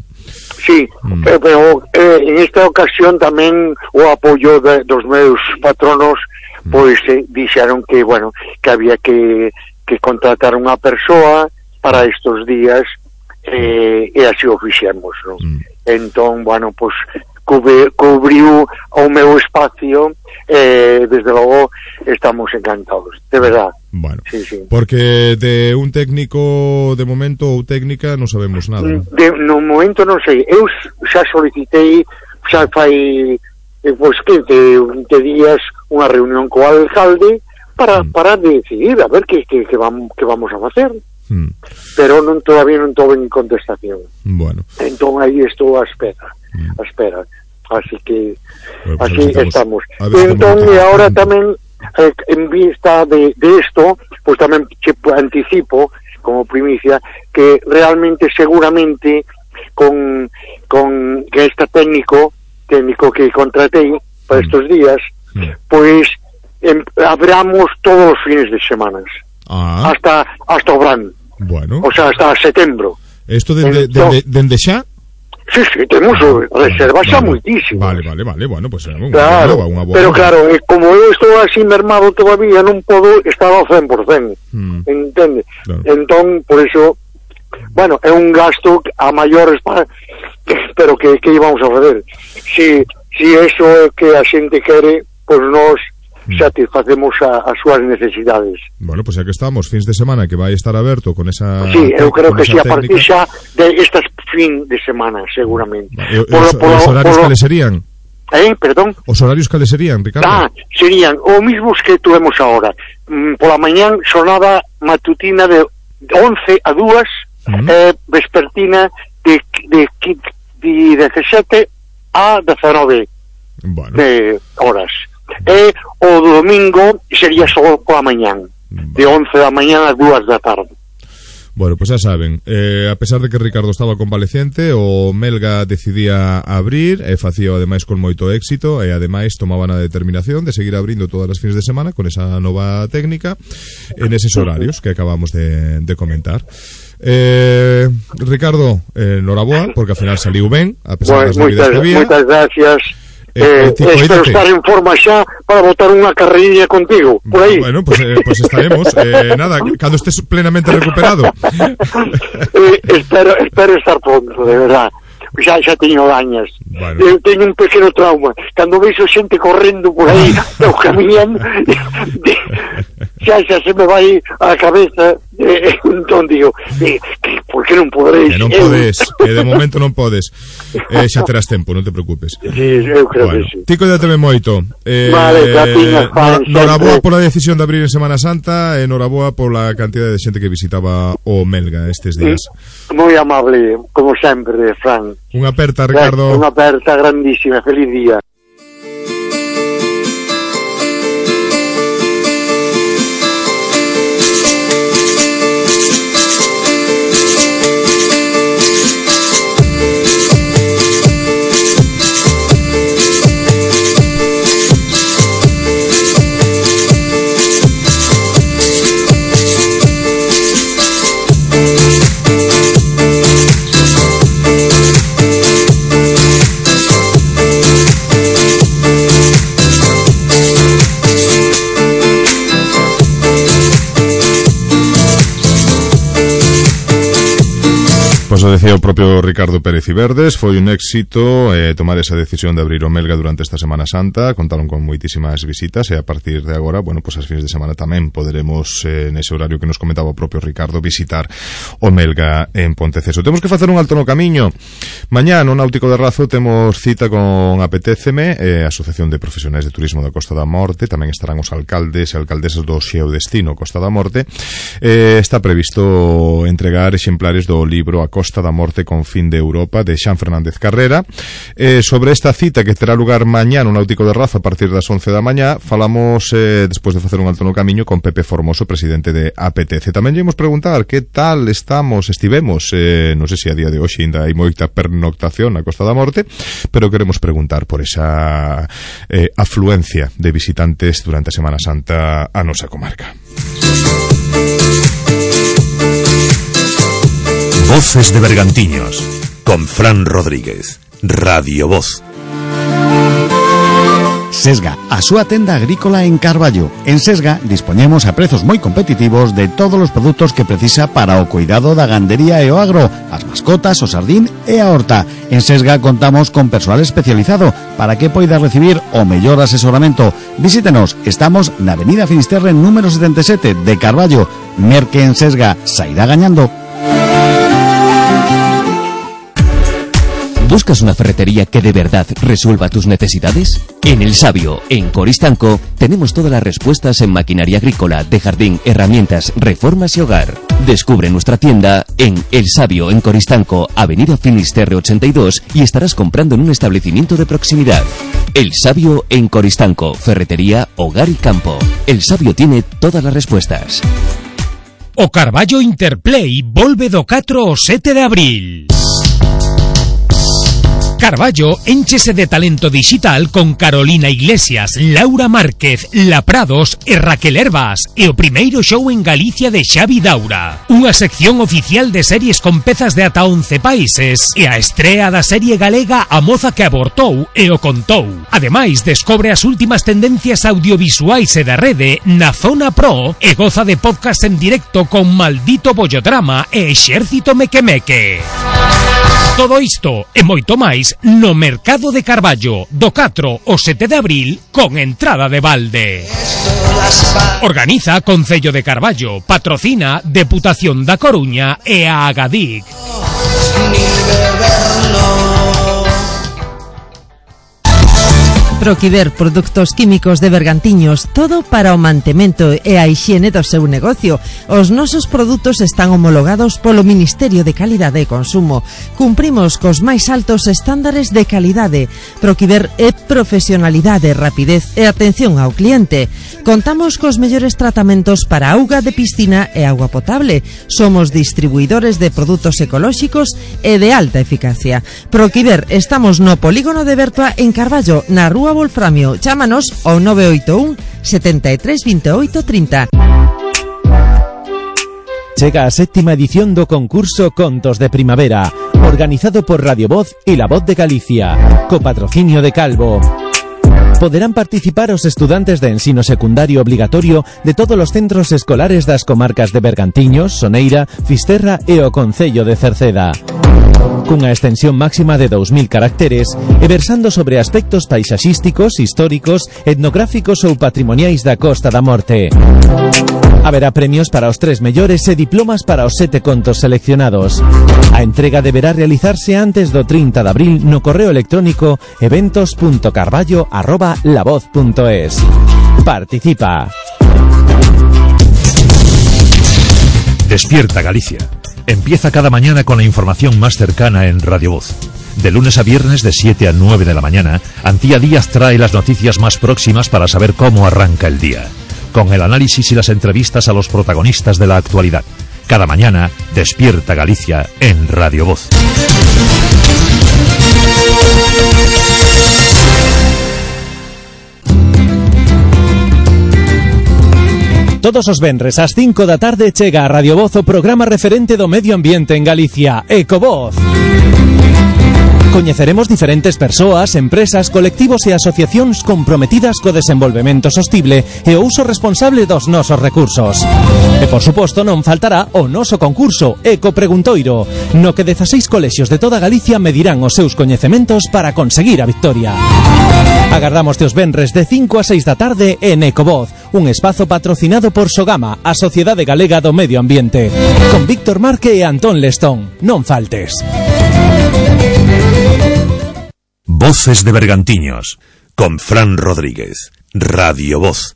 Sí, mm. pero, pero eh, en esta ocasión tamén o apoio de, dos meus patronos, mm. pois eh, dixeron que, bueno, que había que que contratar unha persoa para estos días, eh, e así o fixemos, non? Mm. Entón, bueno, pues cubri, cubriu o meu espacio, eh, desde logo estamos encantados, de verdad. Bueno, sí, sí. Porque de un técnico de momento ou técnica non sabemos nada. De, no momento non sei, eu xa solicitei, xa fai eh, pues quince, vinte días unha reunión co alcalde para mm. para decidir a ver que, que, que, vamos, que vamos a facer. Mm. Pero non todavía non toven contestación. Bueno. Entón aí estou a espera, mm. a espera. Así que bueno, pues así estamos. Entón e agora tamén eh, en vista de, de esto, pues tamén che anticipo como primicia que realmente seguramente con con que este técnico técnico que contratei para estos días, mm. pues em, abramos todos os fines de semanas. Ah. Hasta hasta o verán. Bueno. O sea, hasta setembro. Esto dende de, de, de, de xa? Sí, sí, temos reservas xa vale. Moitísimas. Vale, vale, vale, bueno, pues unha claro, boa, unha boa. Pero claro, eh, como eu estou así mermado todavía, non podo estar ao cen por cen. Mm. Entende? Claro. Entón, por eso bueno, é un gasto a maiores para, pero que, que íbamos a fazer? Si, si eso é que a xente quere, pois nós satisfacemos a, as súas necesidades. Bueno, pues ya que estamos, fins de semana que vai estar aberto con esa... Sí, eu creo que sí, a técnica. partir xa de estas fin de semana, seguramente. E, por, os, por, os horarios por, cales serían? Eh, perdón? Os horarios cales serían, Ricardo? Ah, serían os mismos que tuvemos ahora. Mm, pola mañán, xornada matutina de once a dúas, mm. eh, vespertina de, de, de dezasete a dezenove bueno. de horas. E o domingo sería só pola mañán, de once da mañán a dúas da tarde. Bueno, pues ya saben, eh, a pesar de que Ricardo estaba convalecente, o Melga decidía abrir, e facía ademais con moito éxito, e ademais tomaban a determinación de seguir abrindo todas as fins de semana con esa nova técnica en eses horarios que acabamos de, de comentar. Eh, Ricardo, eh, noraboa, porque al final saliu ben, a pesar pues, das medidas que había. Moitas gracias. Eh, Eh, espero estar en forma xa para botar unha carreiriña contigo, por aí. Bueno, pues, eh, pues estaremos. Eh, nada, cando estés plenamente recuperado. eh, espero, espero estar pronto, de verdad. Xa, xa teño dañas. Bueno. Eu teño un pequeno trauma. Cando veixo xente correndo por aí, eu camiñando, xa, xa se me vai a cabeza. Eh, entón digo, eh, por que non podereis? Que non podes, que de momento non podes. Eh, xa terás tempo, non te preocupes. Sí, eu creo bueno, que sí. Ti cuídateme moito. Eh, vale, gracias, Juan. Noraboa pola decisión de abrir en Semana Santa e noraboa pola cantidad de xente que visitaba o Melga estes días. Moi amable, como sempre, Fran. Unha aperta, Ricardo. Unha aperta grandísima. Feliz día. Pois o decía o propio Ricardo Pérez Iverdes, foi un éxito eh, tomar esa decisión de abrir o Melga durante esta Semana Santa, contaron con moitísimas visitas e a partir de agora, bueno, pois as fins de semana tamén poderemos, eh, nese horario que nos comentaba o propio Ricardo, visitar o Melga en Ponteceso. Temos que facer un alto no camiño. Mañá no Náutico de Razo temos cita con Apetéceme, eh, Asociación de Profesionais de Turismo da Costa da Morte, tamén estarán os alcaldes e alcaldesas do Xeodestino Costa da Morte. Eh, está previsto entregar exemplares do libro A Costa da Morte con fin de Europa de Xan Fernández Carrera. Eh, sobre esta cita que terá lugar mañá no Náutico de Razo a partir das once da mañá, falamos eh, despois de facer un alto no camiño con Pepe Formoso, presidente de A P T C. Tamén llevamos preguntar que tal estamos, estivemos, eh, non sei se a día de hoxe ainda hai moita pernoctación na Costa da Morte, pero queremos preguntar por esa eh, afluencia de visitantes durante a Semana Santa a nosa comarca. Voces de Bergantiños, con Fran Rodríguez, Radio Voz. Sesga, a súa tenda agrícola en Carballo. En Sesga dispoñemos a prezos moi competitivos de todos os produtos que precisa para o cuidado da gandería e o agro, as mascotas, o sardín e a horta. En Sesga contamos con persoal especializado para que poida recibir o mellor asesoramento. Visítenos, estamos na Avenida Finisterre número setenta e sete de Carballo. Merque en Sesga, sairá gañando. ¿Buscas una ferretería que de verdad resuelva tus necesidades? En El Sabio, en Coristanco, tenemos todas las respuestas en maquinaria agrícola, de jardín, herramientas, reformas y hogar. Descubre nuestra tienda en El Sabio, en Coristanco, Avenida Finisterre ochenta y dos, y estarás comprando en un establecimiento de proximidad. El Sabio en Coristanco, ferretería, hogar y campo. El Sabio tiene todas las respuestas. O Carballo Interplay volve do catro ao sete de abril. Carballo énchese de talento digital con Carolina Iglesias, Laura Márquez, La Prados e Raquel Herbas e o primeiro show en Galicia de Xavi Daura. Unha sección oficial de series con pezas de ata once países e a estrea da serie galega A Moza que Abortou e o Contou. Ademais, descobre as últimas tendencias audiovisuais e da rede na Zona Pro e goza de podcast en directo con Maldito Bollodrama e Exército Mequemeque. Todo isto e moito máis no Mercado de Carballo do catro ao sete de abril con entrada de balde. Organiza Concello de Carballo, patrocina Deputación da Coruña e a Agadic. Proquiver Produtos Químicos de Bergantiños, todo para o mantemento e a hixiene do seu negocio. Os nosos produtos están homologados polo Ministerio de Calidade e Consumo. Cumprimos cos máis altos estándares de calidade. Proquiver é profesionalidade, rapidez e atención ao cliente. Contamos cos mellores tratamentos para auga de piscina e auga potable. Somos distribuidores de produtos ecolóxicos e de alta eficacia. Proquiver, estamos no Polígono de Bertoa en Carballo, na Rúa Wolframio. Chámanos ao nove oito un, setenta e tres, veintiocho, trinta. Chega a séptima edición do concurso Contos de Primavera, organizado por Radio Voz e La Voz de Galicia, co patrocinio de Calvo. Poderán participar os estudantes de ensino secundario obligatorio de todos os centros escolares das comarcas de Bergantiños, Soneira, Fisterra e o Concello de Cerceda. Cunha extensión máxima de dous mil caracteres e versando sobre aspectos paisaxísticos, históricos, etnográficos ou patrimoniais da Costa da Morte. Haberá premios para os tres mellores e diplomas para os sete contos seleccionados. A entrega deberá realizarse antes do trinta de abril no correo electrónico eventos punto carballo arroba lavoz punto es. Participa. Despierta Galicia. Empieza cada mañana con la información más cercana en Radio Voz. De lunes a viernes de siete a nueve de la mañana, Antía Díaz trae las noticias más próximas para saber cómo arranca el día, con el análisis y las entrevistas a los protagonistas de la actualidad. Cada mañana, Despierta Galicia en Radio Voz. Todos os venres ás cinco da tarde chega a Radio Voz o programa referente do medio ambiente en Galicia, Ecovoz. Coñeceremos diferentes persoas, empresas, colectivos e asociacións comprometidas co desenvolvemento sostible e o uso responsable dos nosos recursos. E, por suposto, non faltará o noso concurso Eco Preguntoiro, no que dezaseis colexios de toda Galicia medirán os seus coñecementos para conseguir a victoria. Agardamos os venres de cinco a seis da tarde en Ecovoz, un espazo patrocinado por Sogama, a Sociedade Galega do Medio Ambiente, con Víctor Marque e Antón Lestón. Non faltes. Voces de Bergantiños, con Fran Rodríguez, Radio Voz.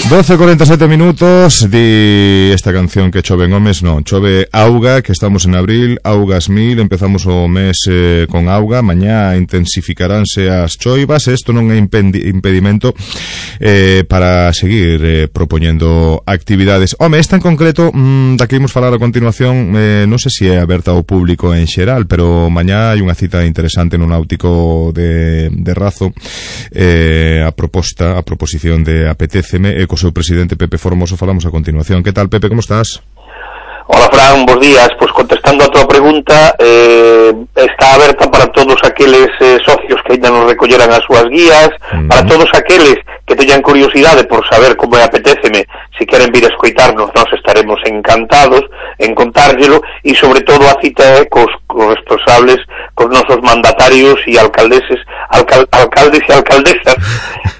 doce cuarenta y siete minutos. Di esta canción que chove en Omes, non, chove auga, que estamos en abril, augas mil, empezamos o mes eh, con auga, mañá intensificaránse as choivas, isto non é impedimento eh, para seguir eh, propoñendo actividades. Home, esta en concreto, mmm, da que imos falar a continuación, eh, non sei se é aberta ao público en xeral, pero mañá hai unha cita interesante no Náutico de, de Razo, eh, a proposta, a proposición de Apetéceme, e co seu presidente Pepe Formoso falamos a continuación. Que tal, Pepe, como estás? Hola, Fran, bons días. Pois pues, contestando a tua pregunta, eh, está aberta para todos aqueles eh, socios que ainda non recolleran as súas guías, uh-huh. para todos aqueles que teñan curiosidade por saber como é, apetéceme, se queren vir a escoitarnos, nós estaremos encantados en contárllelo, e sobre todo a cita é cos, cos responsables, cos nosos mandatarios e alcaldeses, alcal, alcaldes e alcaldesas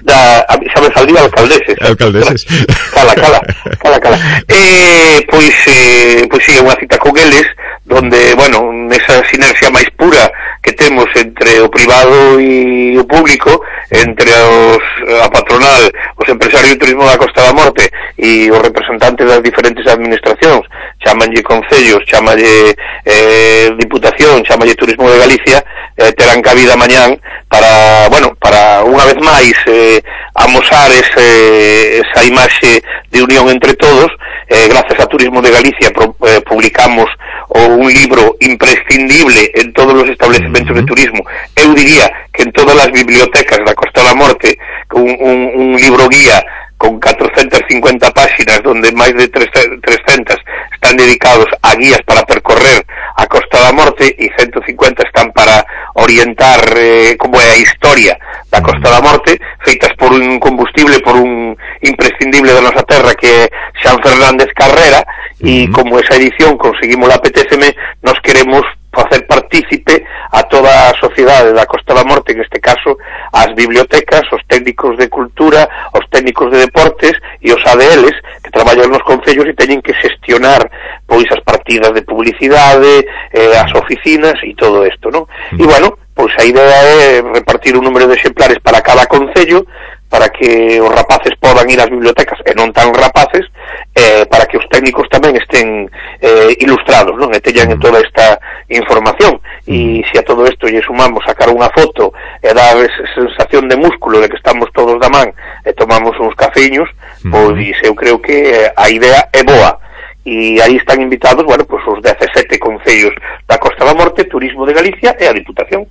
da, xa me saldía alcaldeses. Alcaldeses. Cala, cala, cala, cala. Eh, pois, eh, pois sí, é unha cita con eles, donde, bueno, nesa sinerxia máis pura que temos entre o privado e o público, entre os, a patronal, os empresarios do turismo da Costa da Morte e os representantes das diferentes administracións, chamanlle concellos, chamanlle eh, diputación, chamanlle turismo de Galicia, eh, terán cabida mañán para, bueno, para unha vez máis eh, amosar ese, esa imaxe de unión entre todos. Eh, gracias a Turismo de Galicia pro, eh, publicamos un libro imprescindible en todos los establecimientos uh-huh. de turismo, eu diría que en todas as bibliotecas da Costa da Morte, un, un, un libro guía con cuatrocentas cincuenta páxinas, donde máis de trescentas están dedicados a guías para percorrer a Costa da Morte e ciento cincuenta están para orientar eh, como é a historia da Costa da Morte, feitas por un combustible, por un imprescindible da nosa terra que é Xan Fernández Carrera, e como esa edición conseguimos a Apetéceme, nos queremos facer partícipe a toda a sociedade da Costa da Morte, en este caso as bibliotecas, os técnicos de cultura, os técnicos de deportes e os A D Ls que traballan nos concellos e teñen que xestionar pois as partidas de publicidade, eh, as oficinas e todo isto, non? E bueno, pois a idea é repartir un número de exemplares para cada concello, para que os rapaces podan ir ás bibliotecas e non tan rapaces, eh, para que os técnicos tamén estén eh, ilustrados, non? E teñan toda esta información. E se a todo isto lle sumamos sacar unha foto e dar esa sensación de músculo de que estamos todos da man e tomamos uns cafeños, pois eu creo que a idea é boa. E aí están invitados, bueno, pues os dezasete concellos da Costa da Morte, Turismo de Galicia e a Diputación.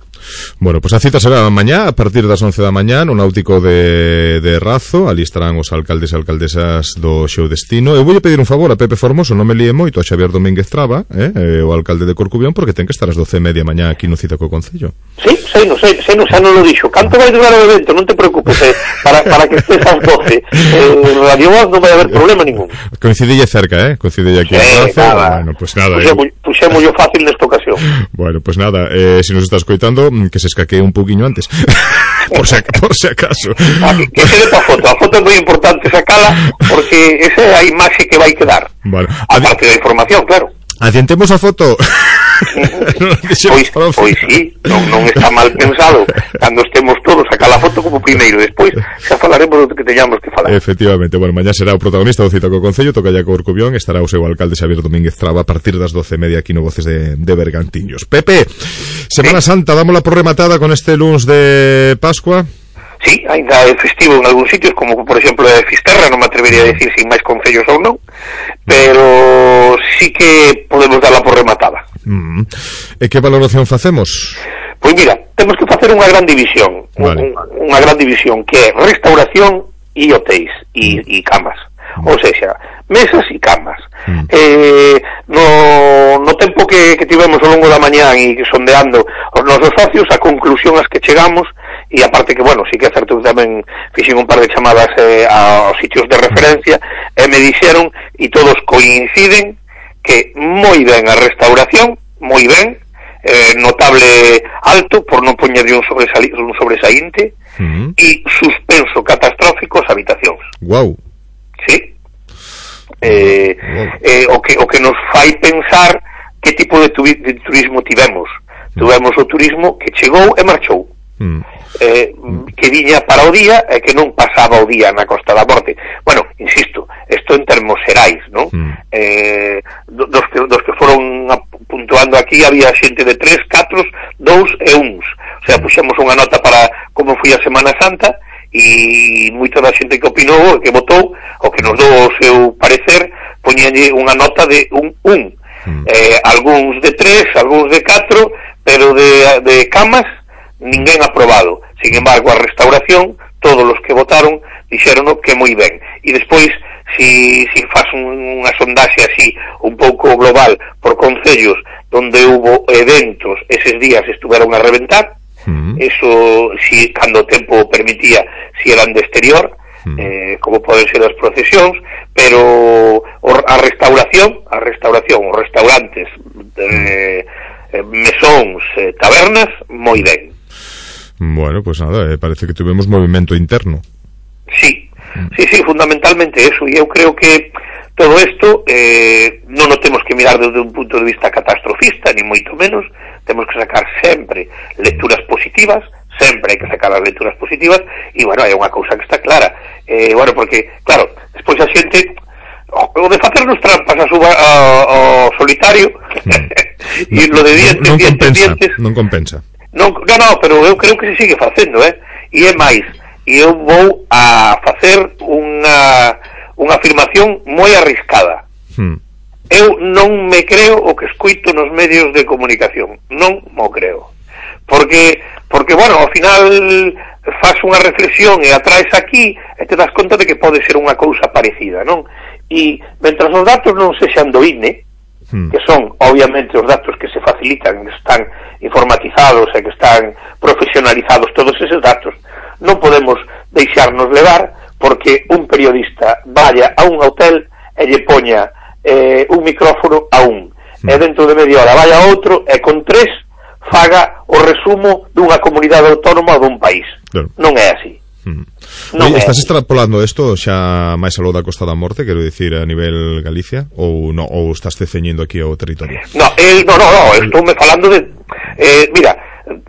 Bueno, pues a cita será mañá, a partir das once da mañá, no Náutico de, de Razo. Ali estarán os alcaldes e alcaldesas do Xeo Destino. Eu voulle pedir un favor a Pepe Formoso, non me líe moito, a Xavier Domínguez Traba, eh, o alcalde de Corcubión, porque ten que estar ás doce e media mañá aquí no Cita co Concello. Sí, sei, non sei, sei, non, xa non lo dixo. Canto vai durar o evento, non te preocupes, eh, para, para que estés ás doce. Eh, Radio Voz non vai haber problema ningún. Coincidille cerca, eh, coincidille aquí sí, en Razo. Bueno, pues nada. Puxemos yo fácil nesta ocasión. Bueno, pues nada, eh, si nos está escoitando, que se escaquee un pouquiño antes. por, si, por si acaso. Ah, que, que se dé pa foto. A foto é moi importante sacala, porque esa é a imaxe que vai quedar. Vale. Aparte da información, claro. Adiantemos a foto. pois, pois sí, non, non está mal pensado. Cando estemos todos sacar a foto como primeiro, despois xa falaremos do que teñamos que falar. Efectivamente, bueno, mañá será o protagonista do Cita co Concello, toca ya co Corcubión, estará o seu alcalde Xavier Domínguez Traba a partir das doce e media aquí no Voces de, de Bergantiños. Pepe, Semana ¿Sí? Santa, dámola por rematada con este luns de Pascua. Sí, ainda é festivo en algúns sitios, como por exemplo é Fisterra, non me atrevería a decir sin máis concellos ou non, pero sí que podemos darla por rematada. Mm. E que valoración facemos? Pois mira, temos que facer unha gran división, vale. un, unha gran división que é restauración e hotéis e, e camas, mm. ou seja, mesas e camas. Mm. Eh, no, no tempo que, que tivemos ao longo da mañán e sondeando os nosos socios, a conclusión ás que chegamos, e aparte que, bueno, sí que é certo que tamén fixen un par de chamadas eh, aos sitios de referencia e me dixeron, e todos coinciden, que moi ben a restauración, moi ben, eh, notable alto, por non poñerlle un, sobresali, un sobresaínte, uh-huh. e suspenso catastrófico as habitacións. Guau. Wow. Sí. Eh, wow. eh, o, que, o que nos fai pensar que tipo de, tu, de turismo tivemos. Uh-huh. Tivemos o turismo que chegou e marchou. Uh-huh. Eh, que viña para o día e que non pasaba o día na Costa da Morte. Bueno, insisto, isto en termos xerais, non? Mm. Eh, dos, que, dos que foron puntuando aquí había xente de tres, catro, dous e uns. O sea, puxemos unha nota para como foi a Semana Santa e moita da xente que opinou, que votou, o que nos dou o seu parecer, poñenlle unha nota de un un. Mm. Eh, algúns de tres, algúns de catro, pero de, de camas ninguén aprobado. Sin embargo, a restauración, todos os que votaron dixeron que moi ben. E despois, si, si faz un, unha sondaxe así un pouco global por concellos donde hubo eventos, eses días estuveron a reventar, uh-huh. eso, si cando o tempo permitía, si eran de exterior, mm. eh, como poden ser as procesións, pero a restauración, a restauración, os restaurantes, eh, mesóns, eh, tabernas, moi ben. Bueno, pues nada, eh, parece que tuvemos movimento interno. Sí, sí, sí, fundamentalmente eso, e eu creo que todo isto eh, non o temos que mirar desde un punto de vista catastrofista, ni moito menos, temos que sacar sempre lecturas positivas, sempre hai que sacar as lecturas positivas, e, bueno, hai unha cousa que está clara, eh, bueno, porque, claro, despois a xente, o de facernos trampas a suba ao solitario, e lo de dientes, non, non dientes, compensa, dientes, non compensa. Non, non, no, pero eu creo que se sigue facendo, eh, e é máis, e eu vou a facer unha unha afirmación moi arriscada. Hmm. Eu non me creo o que escuito nos medios de comunicación, non mo creo. Porque, porque bueno, ao final faz unha reflexión e atraes aquí e te das conta de que pode ser unha cousa parecida, non? E, mentras os datos non sexan do I N E, hmm. que son, obviamente, os datos que se facilitan, que están informatizados e que están profesionalizados, todos eses datos, non podemos deixarnos levar porque un periodista vaya a un hotel e lle poña eh, un micrófono a un, mm. e dentro de media hora vaya a outro e con tres faga o resumo dunha comunidade autónoma ou dun país. Claro. Non é así. Mm. Non Oye, é estás así. Extrapolando isto xa máis aló da Costa da Morte, quero dicir, a nivel Galicia, ou no, ou estás te ceñindo aquí ao territorio? No, el, no, no, no, estou me falando de eh, mira,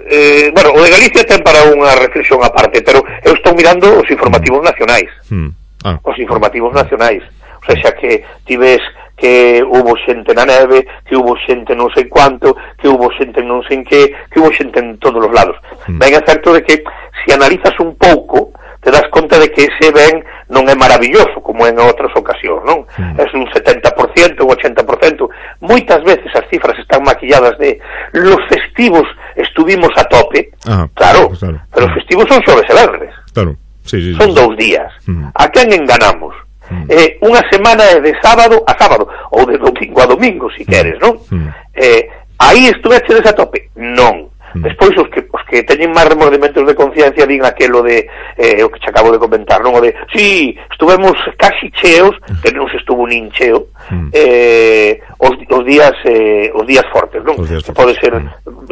Eh, bueno, o de Galicia ten para unha reflexión aparte, pero eu estou mirando os informativos nacionais. Mm. Ah. Os informativos nacionais. O sea, xa que ti ves que hubo xente na neve, que hubo xente non sei cuánto, que hubo xente non sei en que, que hubo xente en todos os lados. Mm. Ben é certo de que se analizas un pouco, te das conta de que ese ben non é maravilloso, como en outras ocasións, non? Mm. É un setenta por ciento, un ochenta por ciento. Moitas veces as cifras están maquilladas de los festivos estuvimos a tope, ah, claro, claro, pero os festivos son xoves e venres. Claro, sí, sí, son sí, dous sí. días. Mm. A quen enganamos? Mm. Eh, unha semana é de sábado a sábado, ou de domingo a domingo, si queres, non? Mm. Eh, aí estuvechedes a tope? Non. Despois os que os que teñen máis remordimentos de conciencia din aquelo de eh, o que che acabo de comentar, non? O de, si, sí, estuvemos casi cheos, que non se estuvo nin cheo, eh, os, os días eh, os días fortes, non? Días que pode ser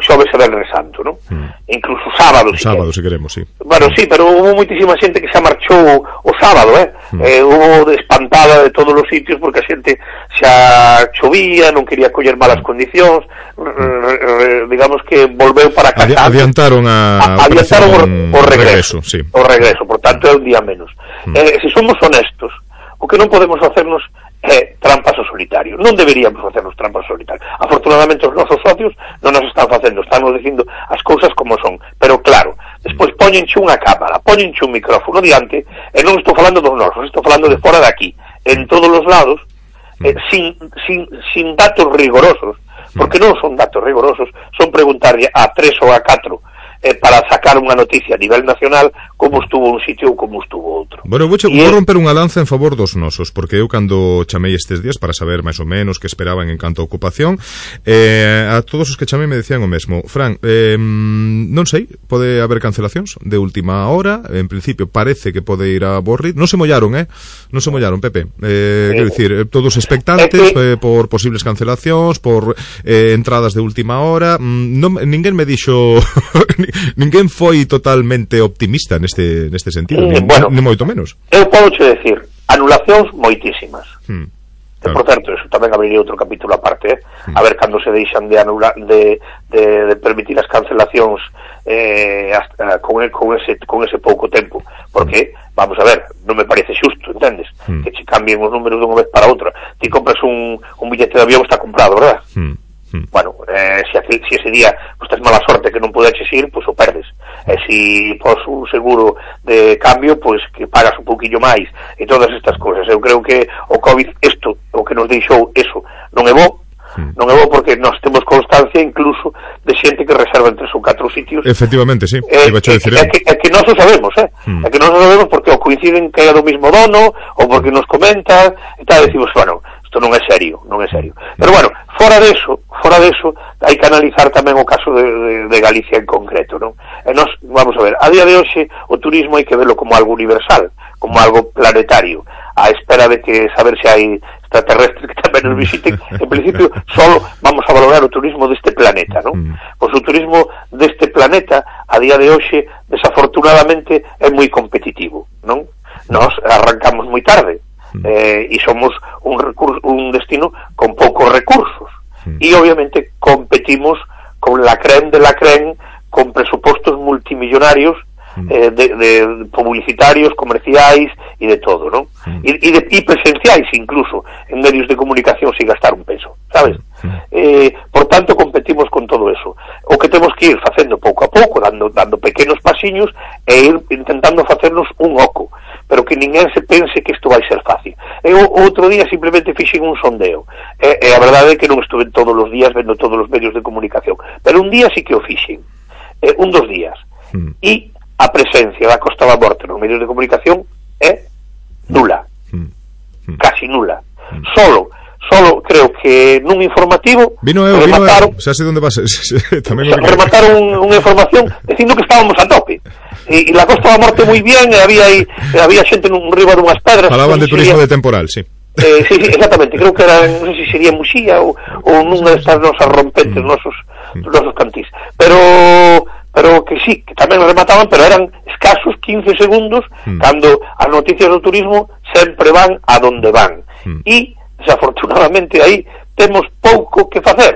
xoves e venres santo, non? Mm. Incluso sábado, si sábado, se queremos, sí. Bueno, sí, pero hubo moitísima xente que xa marchou o sábado, eh? Mm. eh hubo espantada de todos os sitios porque a xente xa chovía, non quería coller malas condicións, mm. digamos que volveu para casa. Adiantaron a, a adiantaron o, o regreso, regreso sí. o regreso, por tanto é un día menos. Mm. Eh, se somos honestos, o que non podemos hacernos é trampas ao solitario. Non deberíamos facernos trampas ao solitario. Afortunadamente os nosos socios non nos están facendo, están nos dicindo as cousas como son. Pero claro, despois poñenche unha cámara, poñenche un micrófono diante, e non estou falando dos nosos, estou falando de fora de aquí, en todos os lados, eh, sin, sin, sin datos rigorosos, porque non son datos rigorosos, son preguntarlle a tres ou a catro eh, para sacar unha noticia a nivel nacional como estuvo un sitio ou como estuvo outro. Bueno, vou, vou romper unha lanza en favor dos nosos, porque eu cando chamei estes días para saber máis ou menos que esperaban en canto a ocupación, eh, a todos os que chamei me decían o mesmo. Fran, eh, non sei, pode haber cancelacións de última hora, en principio parece que pode ir a Borri, non se mollaron, eh? Non se mollaron, Pepe. Eh, quero dicir, todos expectantes eh, por posibles cancelacións, por eh, entradas de última hora, non, ninguén me dixo ninguén foi totalmente optimista neste neste sentido, eh, nin, bueno, nin moito menos. Eu podo che decir, anulacións moitísimas. Hmm, claro. Por certo, eso tamén abriría outro capítulo aparte, eh? hmm. a ver cando se deixan de anular de, de, de permitir as cancelacións eh, hasta, con, con, ese, con ese pouco tempo, porque hmm. vamos a ver, non me parece xusto, entendes? Hmm. Que che cambien os números dunha vez para outra. Ti compras un, un billete de avión, está comprado, verdad? Hmm. Bueno, eh, se, se ese día pues, tens mala sorte que non pudeches ir, pois pues, o perdes. E se pos un seguro de cambio, pois pues, que pagas un pouquillo máis e todas estas cousas. Eu creo que o COVID, isto, o que nos deixou eso, non é bo, non é bo porque nós temos constancia incluso de xente que reserva en tres ou catro sitios. Efectivamente, sí. É, é, é, que, é que nós o sabemos, eh? Hmm. É que nós o sabemos porque o coinciden que é do mismo dono ou porque nos comenta e tal, decimos, bueno, isto non é serio, non é serio. Pero bueno, fora deso, fora deso, hai que analizar tamén o caso de, de, de Galicia en concreto, non? E nós, vamos a ver, a día de hoxe o turismo hai que verlo como algo universal, como algo planetario, a espera de que saber se hai extraterrestres que tamén nos visiten. En principio, solo vamos a valorar o turismo deste planeta, non? Pois o turismo deste planeta, a día de hoxe, desafortunadamente, é moi competitivo, non? Nós arrancamos moi tarde, eh, e somos un, recurso, un destino con poucos recursos, e obviamente competimos con la creme de la creme, con presupostos multimillonarios, eh, de, de publicitarios, comerciais e de todo, non? E, e, de, e presenciais incluso en medios de comunicación sin gastar un peso, sabes? Eh, por tanto competimos con todo eso. O que temos que ir facendo pouco a pouco, dando, dando pequenos pasiños e ir intentando facernos un oco, pero que ninguén se pense que isto vai ser fácil. E o, outro día simplemente fixen un sondeo, e, e a verdade é que non estuve todos os días vendo todos os medios de comunicación, pero un día sí que o fixen, eh, un dos días, mm. e a presencia da Costa da Morte nos medios de comunicación é nula, mm. casi nula. Mm. Solo, solo creo que nun informativo vino eu, remataron, vino eu, xa sei onde vas, tamén o remataron unha información dicindo que estábamos a tope. E, e la Costa da Morte moi bien, e había aí, había xente nun riba dunhas pedras. Falaban de turismo sería, de temporal, sí. Eh, sí, sí, exactamente, creo que era, non sei se sería Muxía ou, ou nunha destas nosas rompentes, mm. nosos, mm. nosos cantís. Pero pero que sí, que tamén remataban, pero eran escasos quince segundos, mm. cando as noticias do turismo sempre van a donde van. Mm. E, desafortunadamente, aí temos pouco que facer.